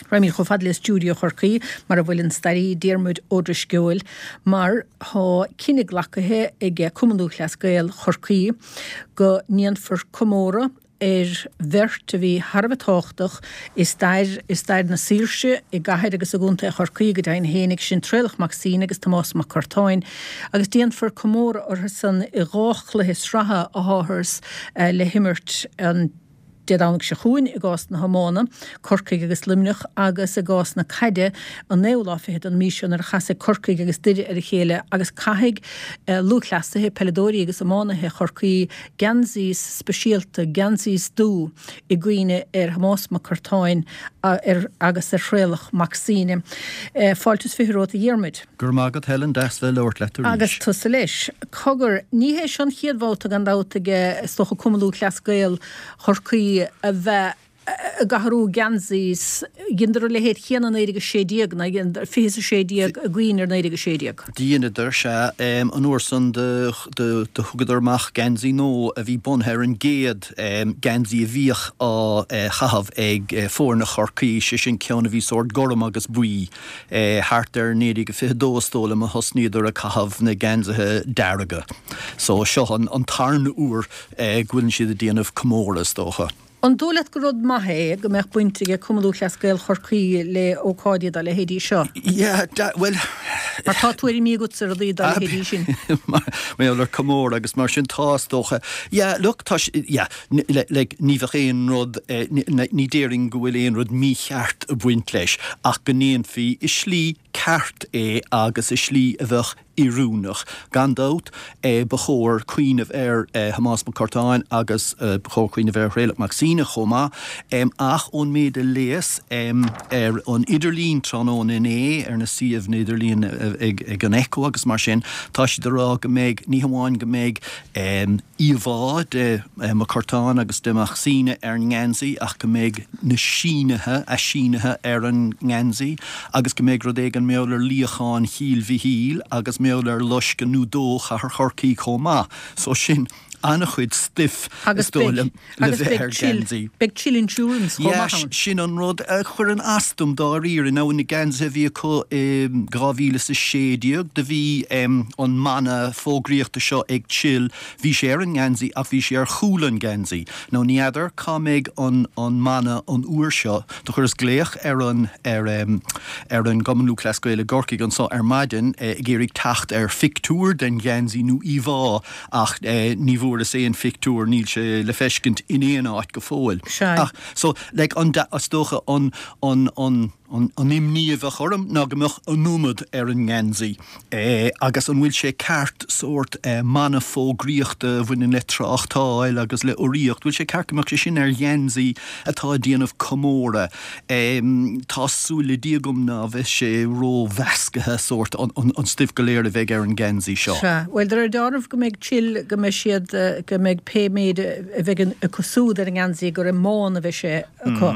Raghaimid chomh fada le stiúideo Chorcaí, mar a bhfuil an staraí Diarmuid Ó Drisceoil, mar tá cinneadh glacaithe ag Cumann Lúthchleas Gael Chorcaí go ndéanfar comóradh ar bheirt a bhí thar a bheith tábhachtach i stair i stair na saoirse i gcathair agus i gcontae Chorcaí go deimhin fhéinig, sin Traolach Mac Suibhne agus Tomás Mac Curtáin, agus déanfar comóradh orthusan i dha chluiche sraithe atáthar le himirt an Dé Domhnaigh seo chugainn i gcás na hiomána, Corcaigh agus Luimneach, agus i gcás na caide, an naoú lá fichead den mhí seo nuair a chasfaidh Corcaigh agus Doire ar a chéile agus caithfidh lúthchleasaithe, peileadóirí agus iománaithe Chorcaí geansaí speisialta, geansaí dubh, i gcuimhne ar Thomás Mac Curtáin agus ar Thraolach Mac Suibhne. Fáilte is 20 romhat a Dhiarmuid. Go raibh maith agat Helen, deas bheith ag labhairt leat arís. Agus tusa leis. Cogar, ní hé seo an chéad bhabhta gan dabht ag, is dócha, Cumann Lúthchleas Gael Chorcaí a bheith ag athrú geansaí. Dheineadar a leithéid chéanna i 1916, nó 20 is 16 i gcuimhne ar 1916. Dheineadar, sea. An uair san do thugadar amach geansaí nua a bhí bunaithe ar an gcéad geansaí a bhíodh á chaitheamh ag foirne Chorcaí, sé sin ceann a bhí sórt gorm agus buí. Thart ar 1922 is dóigh liom a thosnaíodar ag caitheamh na geansaithe dearga. So seo an tarna uair go bhfuileann siad ag déanamh comóradh is dócha. An dóigh leat gur rud maith é go mbeadh baint ag Cumann Lúthchleas Gael Chorcaí le ócáidí dá leithéidí seo? Yeah, bhuel. Mar tá tuairimí agatsa ar rudaí dá leithéidí sin. Mar gheall ar comóradh agus mar sin tá is dócha. Yeah, look, tá, yeah. Like, ní bheadh aon rud, ní déarfainn go bhfuil aon rud mícheart ag baint leis ach go ndéanfaí i slí ceart é agus i slí a bheadh oiriúnach. Gan dabht, ba chóir cuimhneamh ar Thomás Mac Curtáin agus ba chóir cuimhneamh ar Thraolach Mac Suibhne chomh maith ach ón méid a léas ar an idirlíon tráthnóna inné, ar na suíomhanna idirlíon ag an Echo agus mar sin, tá siad ag rá go mbeidh, ní hamháin go mbeidh íomhá de Mac Curtáin agus de Mac Suibhne ar an ngeansaí ach go mbeidh na sínithe, a sínithe ar an ngeansaí agus go mbeidh rud éigin mar gheall ar luíochán Chill Mhichíl agus mar gheall ar loisceadh nó dó Chathair Chorcaí chomh maith. So sin an-chuid stuif is dóigh liom le bheith ar gheansaí. Beidh Chill Insurance chomh maith ann. Sin an rud a chuireann as dom dáiríre. Now na geansaithe a bhí acu i 2016 do bhí an mana fógraíochta seo ag Chill, bhí sé ar an ngeansaí ach bhí sé ar chúl an gheansaí. Now ní fheadar cá mbeidh an an mana an uair seo. Do chuireas glaoch ar an ar ar an gCumann Lúthchleas Gael i gCorcaigh anso ar maidin ag iarraidh teacht ar phictiúr den gheansaí nó íomhá ach ní bhfuaireas aon phictiúr, níl sé le feiscint in aon áit go fóill. Sea. Ach, so, like, an, is dócha an, an, an, an, an imní a bheadh orm ná go mbeadh an iomad ar an ngeansaí. Agus an bhfuil sé ceart sórt mana fógraíochta a bhaineann le tráchtáil agus le urraíocht, bhfuil sé ceart go mbeadh sé sin ar gheansaí atá ag déanamh comóradh? Tá súil le Dia agam ná bheidh sé ró-mheascaithe, sórt, an stuif go léir a bheidh ar an ngeansaí seo. Sea. Bhuel, de réir dealraimh go mbeidh Chill, go mbeidh siad, go mbeidh pé méid a bheidh acu siúd ar an ngeansaí gur i mbán a bheidh sé acu.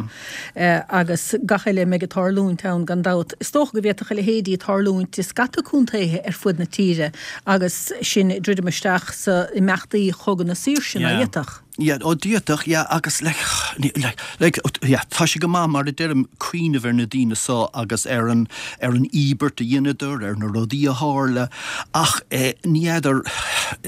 Agus gach eile a mbeidh ag tarlúint ann gan dabht. Is dócha go bhféadfadh a leithéidí tarlúint i scata contaetha ar fud na tíre agus sinn ag druidim isteach sa imeachtaí Chogadh na Saoirse, ná d'fhéadfadh? Yeah, ó d'fhéadfadh, yeah, agus like, like, like, yeah, tá sé go maith mar a deirim cuimhneamh ar na daoine so agus ar an, ar an íobairt a dheineadar, ar na rudaí a tharla ach eh, ní fheadar,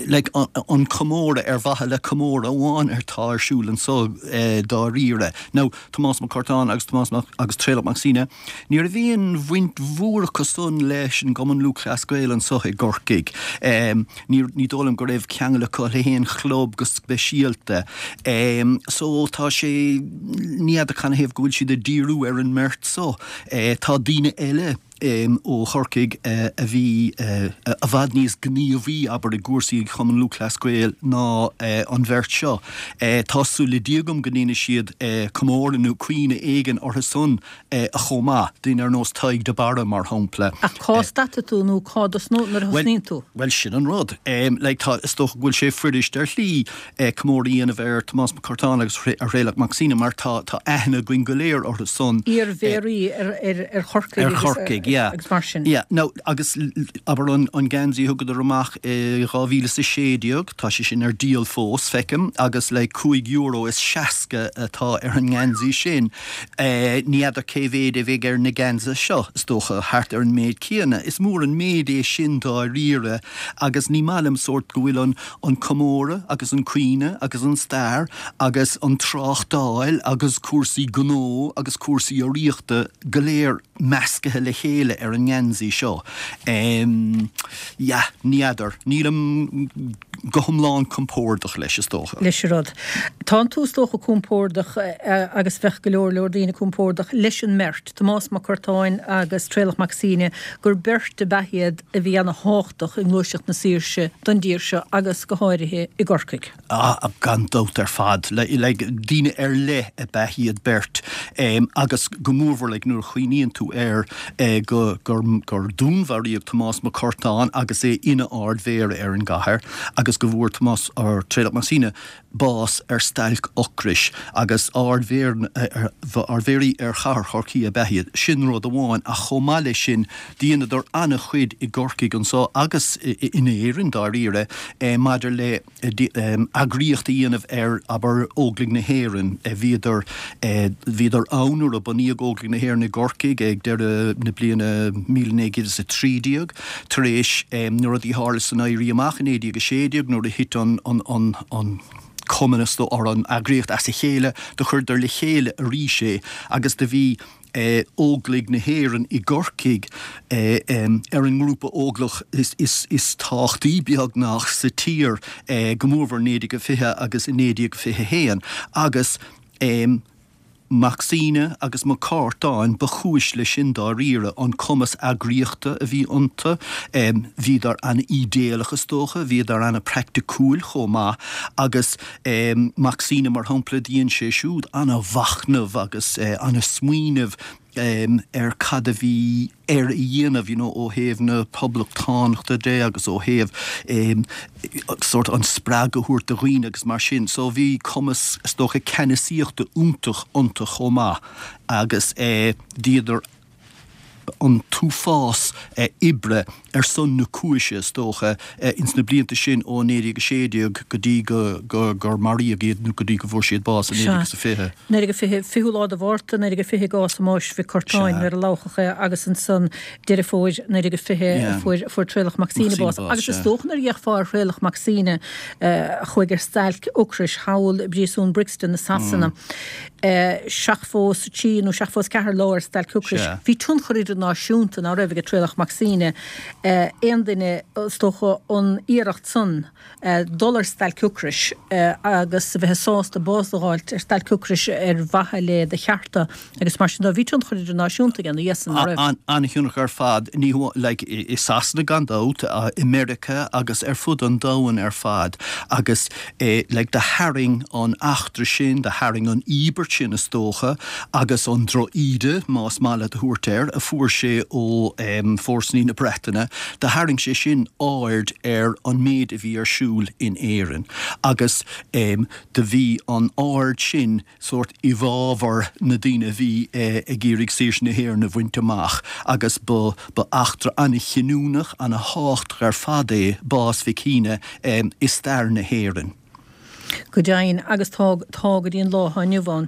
like, an, an comóradh ar mhaithe le comóradh amháin atá ar siúl anso eh, dáiríre. Now, Tomás Mac Curtáin agus Tomás Mac, agus Traolach Mac Suibhne, Ní raibh aon bhaint mhór acu san leis an gCumann Lúthchleas Gael anso i gCorcaigh. Ní ní dóigh liom go raibh ceangal acu le haon chlub go speisialta. So tá sé, ní fheadar canathaobh go bhfuil siad ag díriú ar an mbeirt so. Tá daoine eile ó Chorcaigh a bhí i bhfad níos gníomhaí, abair, i gcúrsaí Chumann Lúthchleas Gael ná an bheirt seo. Tá súil le Dia agam go ndéanfaidh siad comóradh nó cuimhne éigin orthu san chomh maith, daoine ar nós Tadhg de Barra, mar shampla. Ach cá stadfaidh tú nó cá dtosnóidh nuair a thosnaíonn tú? Bhuel, sin an rud. Like, tá, is dócha go bhfuil sé fuirist ar shlí comóradh a dhéanamh ar Tomás Mac Curtáin agus ar Thraolach Mac Suibhne mar tá, tá aithne againn go léir orthu san. Iar-mhéaraí ar, ar, ar Chorcaigh Ar Chorcaigh. Corcaigh, yeah. Agus mar sin. Yeah, now agus abair an an geansaí a thugadar amach i 2016, tá sé sin ar díol fós, feicim, agus like €5 is 60 atá ar an ngeansaí sin. Ní fheadar cé mhéid a bheidh ar na geansaithe seo, is dócha thart ar an méid céanna. Is mór an méid é sin dáiríre agus ní maith liom sórt go bhfuil an an comóradh agus an cuimhne agus an stair agus an tráchtáil agus cúrsaí gnó agus cúrsaí urraíochta go léir meascaithe le chéile ar an ngeansaí seo. Yeah, ní fheadar. Nílim go hiomlán compordach leis, is dócha. leis an rud. Tánn tú is dócha compordach agus bheadh go leor leor daoine compordach leis an mbeirt, Tomás Mac Curtáin agus Traolach Mac Suibhne, gur beirt ab ea iad a bhí ana thábhachtach i ngluaiseacht na saoirse don dtír seo agus go háirithe i gCorcaigh. Ah, gan dabht ar fad. Like, daoine ar leith ab ea iad beirt agus go mórmhór like nuair a chuimhníonn tú air go, gur, gur dúnmharaíodh Tomás Mac Curtáin agus é ina Ard-Mhéara ar an gcathair agus go bhfuair Tomás, or Traolach Mac Suibhne, bás ar stailc ocrais agus Ard-Mhéaraí ar chathair Chorcaí ab ea iad. Sin rud amháin ach chomh maith leis sin dheineadar an-chuid i gCorcaigh anso agus in Éirinn dáiríre maidir le eagraíocht a dhéanamh ar, abair, Óglaigh na hÉireann. Bhíodar, bhíodar ann nuair a bunaíodh Óglaigh na hÉireann i gCorcaigh ag deireadh na bliana 1913. Tar éis na rudaí a tharla san Éirí Amach i 1916 nuair a thit an, an, an, an cumann is dóigh, or an eagraíocht as a chéile, do chuireadar le chéile arís é agus do bhí Óglaigh na hÉireann i gCorcaigh ar an ngrúpa óglach is tábhachtaí beagnach sa tír, go mórmhór i 1920 agus i 1921 agus Mac Suibhne agus Mac Curtáin ba chúis leis sin dáiríre, an cumas eagraíochta a bhí iontu, bhíodar an-ídéalach is dócha, bhíodar an-praiticiúil chomh maith agus Mac Suibhne, mar shampla, dhein sé siúd ana-mhachnamh agus ana-smaoineamh ar cad a bhí air a dhéanamh, you know, ó thaobh na poblachtánachta de agus ó thaobh sórt an spreagadh a thabhairt do dhaoine agus mar sin. So bhí cumas, is dócha, ceannasaíochta iontach iontu chomh maith agus dheineadar an t-uafás oibre ar son na cúise, is dócha, ins na blianta sin ó 1916 go dtí go gur maraíodh iad nó go dtí go bhfuair siad bás i 1920. 1920, 20ú lá de Mhárta 1920 i gcás Thomáis Mhic Curtáin nuair a labhchadh é agus ansan Deireadh Fómhair 1920 a fuair fuair Traolach Mac Suibhne bás. Agus is dócha nuair a d'fhéachfá ar Thraolach Mac Suibhne a chuaigh ar stailc ocrais thall i bpríosún Brixton i Sasana, 73 nó 74 lá ar stailc ocrais. Bhí tionchar idirnáisiúnta ná raibh ag Traolach Mac Suibhne, aon duine is dócha an iarracht san dul ar stailc ocrais agus a bheith sásta bás a dh'fháilt ar stailc ocrais ar mhaithe le do chearta agus mar sin de. Bhí tionchar idirnáisiúnta aige ina dhiaidh san, ná raibh? An-thionchar ar fad, ní hamháin like i Sasana gan dabht, i Meiriceá agus ar fud an domhain ar fad agus like do tharraing an eachtra sin, do tharraing an íobairt sin is dócha agus an droch-íde, más maith leat a thabhairt air, a fuair sé ó fórsaí na Breataine, do tharraing sé sin aird ar an méid a bhí ar siúl in Éirinn agus do bhí an aird sin sórt i bhfabhar na daoine a bhí ag iarraidh saoirse na hÉireann a bhaint amach agus ba ba eachtra an-chinniúnach, an-thábhachtach ar fad é bás Mhic Shuibhne i stair na hÉireann. Go deimhin, agus tá, tá go dtí an lá atá inniu ann.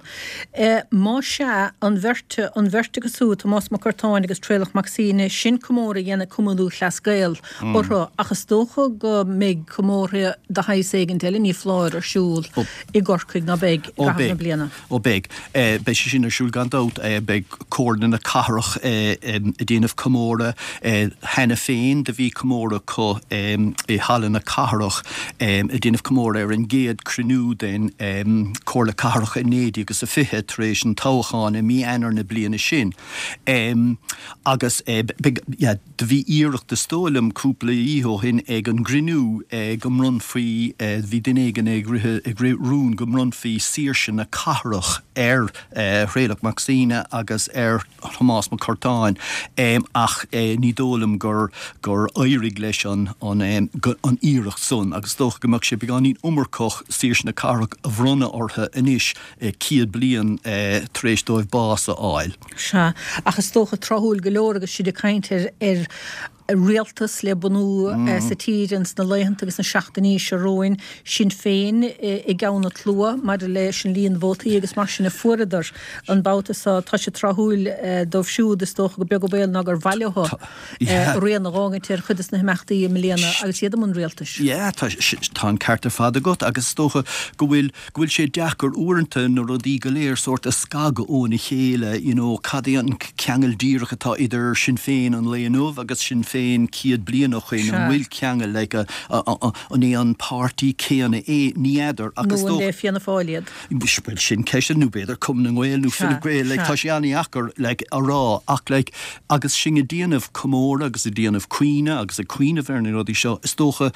Más ea, an bheirt, an bheirt acu siúd, Tomás Mac Curtáin agus Traolach Mac Suibhne, sin comóradh a dhéanfaidh Cumann Lúthchleas Gael orthu, ach is dócha go mbeidh comórtha de shaghas éigint eile, ní foláir, ar siúl i gCorcaigh, ná beidh, i gcaitheamh na bliana. Ó beidh. Beidh sé sin ar siúl gan dabht. Beidh Comhairle na Cathrach ag déanamh comóradh cheana féin. Do bhí comóradh acu i Halla na Cathrach ag déanamh comóradh ar an gcéad cruinniú den Chomhairle Cathrach i 1920 tar éis an toghcháin i mí Eanáir na bliana sin. Agus beidh, yeah. Do bhí iarracht, is dóigh liom, cúpla oíche ó shin ag an gcruinniú go mbronnfaí, bhí duine éigin ag rith, ag rith rún go mbronnfaí saoirse na cathrach ar Thraolach Mac Suibhne agus ar Thomás Mac Curtáin ach ní dóigh liom gur, gur éirigh leis an, an, an iarracht san agus is dócha go mbeadh sé beagáinín iomarcach saoirse. Saoirse na Cathrach a bhronnadh orthu anois 100 bliain tar éis dóibh bás a fháil. Sea, ach is dócha tráthúil go leor agus sinn ag caint ar ar rialtas le bunú sa tír ins na laethanta agus na seachtainí seo romhainn, Sinn Féin i gceann an tslua maidir leis an líon vótaí agus mar sin a fuaireadar an babhta seo. Tá sé tráthúil dóibh siúd, is dócha, gur beag an baol ná gur mhaith leo rian a dh'fhágaint ar chuid des na himeachtaí i mbliana agus iad i mbun rialtais. Yeah, tá, tá an ceart ar fad agat agus is dócha go bhfuil, go bhfuil sé deacair uaireanta na rudaí go léir sórt a scagadh óna chéile, you know, cad é an ceangal díreach atá idir Sinn Féin an lae inniu agus Sinn Féin 100 bliain ó shoin, an bhfuil ceangal, like, an é an páirtí céanna é, ní fheadar ach is dócha. Nó an le Fianna Fáil iad? Bhuel, sin ceist, nó b'fhéidir Cumann na nGael nó Fine Gael, like, tá sé an-dheacair, like, a rá ach, like, agus sinn ag déanamh comóradh agus ag déanamh cuimhne agus ag cuimhneamh ar na rudaí seo, is dócha,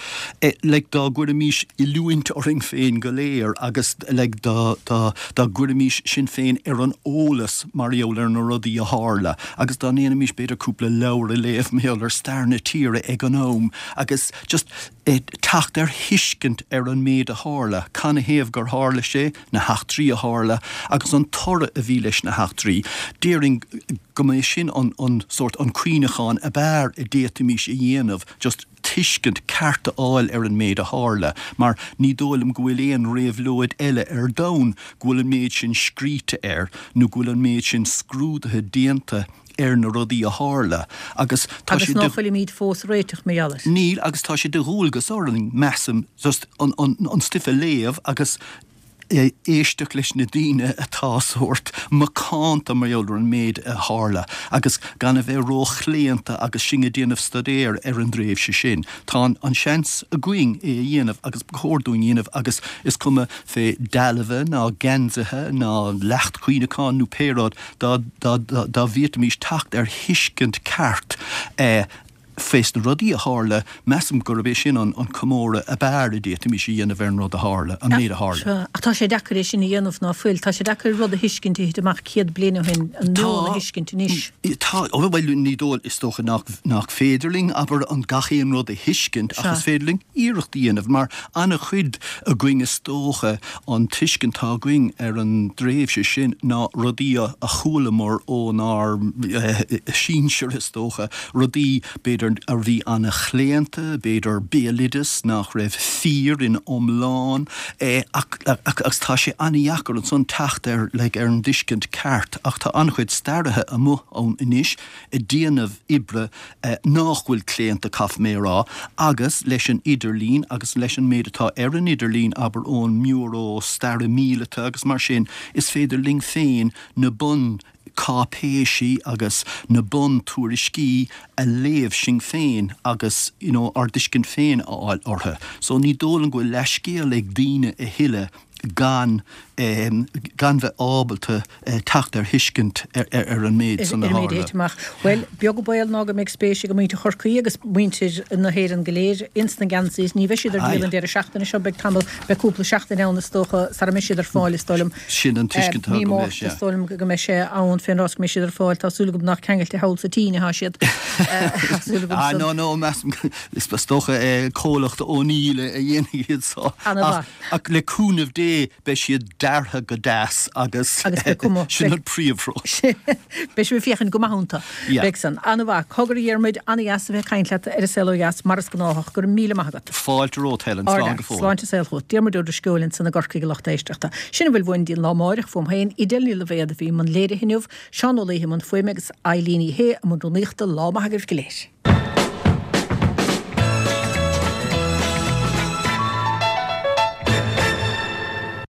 like, dá gcuirimís oiliúint orainn féin go léir agus, like, dá, dá, dá gcuirimís sinn féin ar an eolas mar gheall ar na rudaí a tharla agus dá ndéanfaimis b'fhéidir cúpla leabhar a léamh mar gheall ar stair na tíre ag an am agus just teacht ar thuiscint ar an méid a tharla, canathaobh gur tharla sé, na heachtraí a tharla agus an toradh a bhí leis na heachtraí. Déarfainn go mba é sin an, an sórt, an cuimhneachán ab fhearr a d'fhéadfaimis a dhéanamh, just tuiscint ceart a fháil ar an méid a tharla, mar ní dóigh liom go bhfuil aon réabhlóid eile ar domhan go bhfuil an méid sin scríte air nó go bhfuil an méid sin scrúdaithe déanta ar na rudaí a tharla agus tá sé de. Agus ná fuilimid fós réiteach mar gheall air. Níl, agus tá sé de dhualgas orainn, measaim, just an, an, an stuif a léamh agus éisteacht leis na daoine atá sórt macánta mar gheall ar an méid a tharla agus gan a bheith róchlaonta agus sinn ag déanamh staidéir ar an dtréimhse sin. Tá an seans againn é a dhéanamh agus ba chóir dúinn a dhéanamh agus is cuma fé dealbha ná geansaithe ná leacht cuimhneacháin nó pé rud, dá bhféadfaimis teacht ar thuiscint ceart fés na rudaí a tharla, measaim gurb é sin an comóradh ab fhearr a d'fhéadfaimis a dhéanamh ar an rud a tharla, an méid a tharla. Sea, ach tá sé deacair é sin a dhéanamh, ná fuil? Tá sé deacair rud a thuiscint a thit amach 100 bliain ó shin, an meon a thuiscint anois. Tá, bhuel, ní dóigh, is dócha nach, nach féidir linn, abair, an gach aon rud a thuiscint ach is féidir linn iarracht a dhéanamh, mar an-chuid againn is dócha, An tuiscint atá againn ar an dtréimhse sin ná rudaí a chualamar ónár sinsir, is dócha, rudaí, b'fhéidir, a bhí an-chlaonta, b'fhéidir béaloideas nach raibh fíor ina iomlán, ach agus tá sé an-dheacair ansan teacht ar, like, ar an dtuiscint ceart. Ach tá an-chuid staraithe amuigh ann anois ag déanamh oibre nách bhfuil claonta, caithfidh mé a rá, agus leis an idirlíon agus leis an méid atá ar an idirlíon, abair ón mBiúró Staire Míleata agus mar sin, is féidir linn féin na bun cáipéisí agus na bun tuairiscí a léamh sinn féin agus you know ár dtuiscint féin a fháil orthu. So ní dóigh liom go bhfuil leithscéal ag daoine a thuilleadh gan gan bheith ábalta teacht ar thuiscint ar an méid san a tharla. Ar an méid a thit amach. Bhuel, beag an baol ná go mbeidh spéis ag muintir Chorcaí agus muintir na hÉireann go léir ins na geansaithe. Ní bheidh siad ar díol an deireadh seachtaine seo, beidh tamall, beidh cúpla seachtain ann is dócha sara mbeidh siad ar fáil is dóigh liom. Sin an tuiscint atá agam leis, yeah. Mí Márta is dóigh liom go mbeidh sé ann fén rás go mbeidh siad ar fáil. Tá súil agam nach ceangailte thall sa tSín atá siad. Tá súil agam san. Ah no, no, measaim, is dócha comhlacht O'Neill a dhéanfaidh iad so. Ana-mhaith. Ach le cúnamh Dé beidh siad deartha go deas agus sin an príomhrud. Beidh sibh ag féachaint go maith iontu. Beidh san. An-mhaith. Cogar a Dhiarmuid, an-dheas a bheith ag caint leat ar An Saol Ó Dheas, mar is gnáthach. Go raibh míle maith agat. Fáilte romhat, Helen. Slán go fóill. Sláinte saoil chugat. Diarmuid Ó Drisceoil ansan i gCorcaigh a lucht éisteachta. Sin a bhfuil uainn dtí an lá amáireach fúm féin. Edel Ní Loibhéad a bhí i mbun léirithe inniu, Seán Ó Laoithe i mbun fuaime agus Eileen Ní Shé i mbun rúnaíochta. Lá maith agaibh go léir.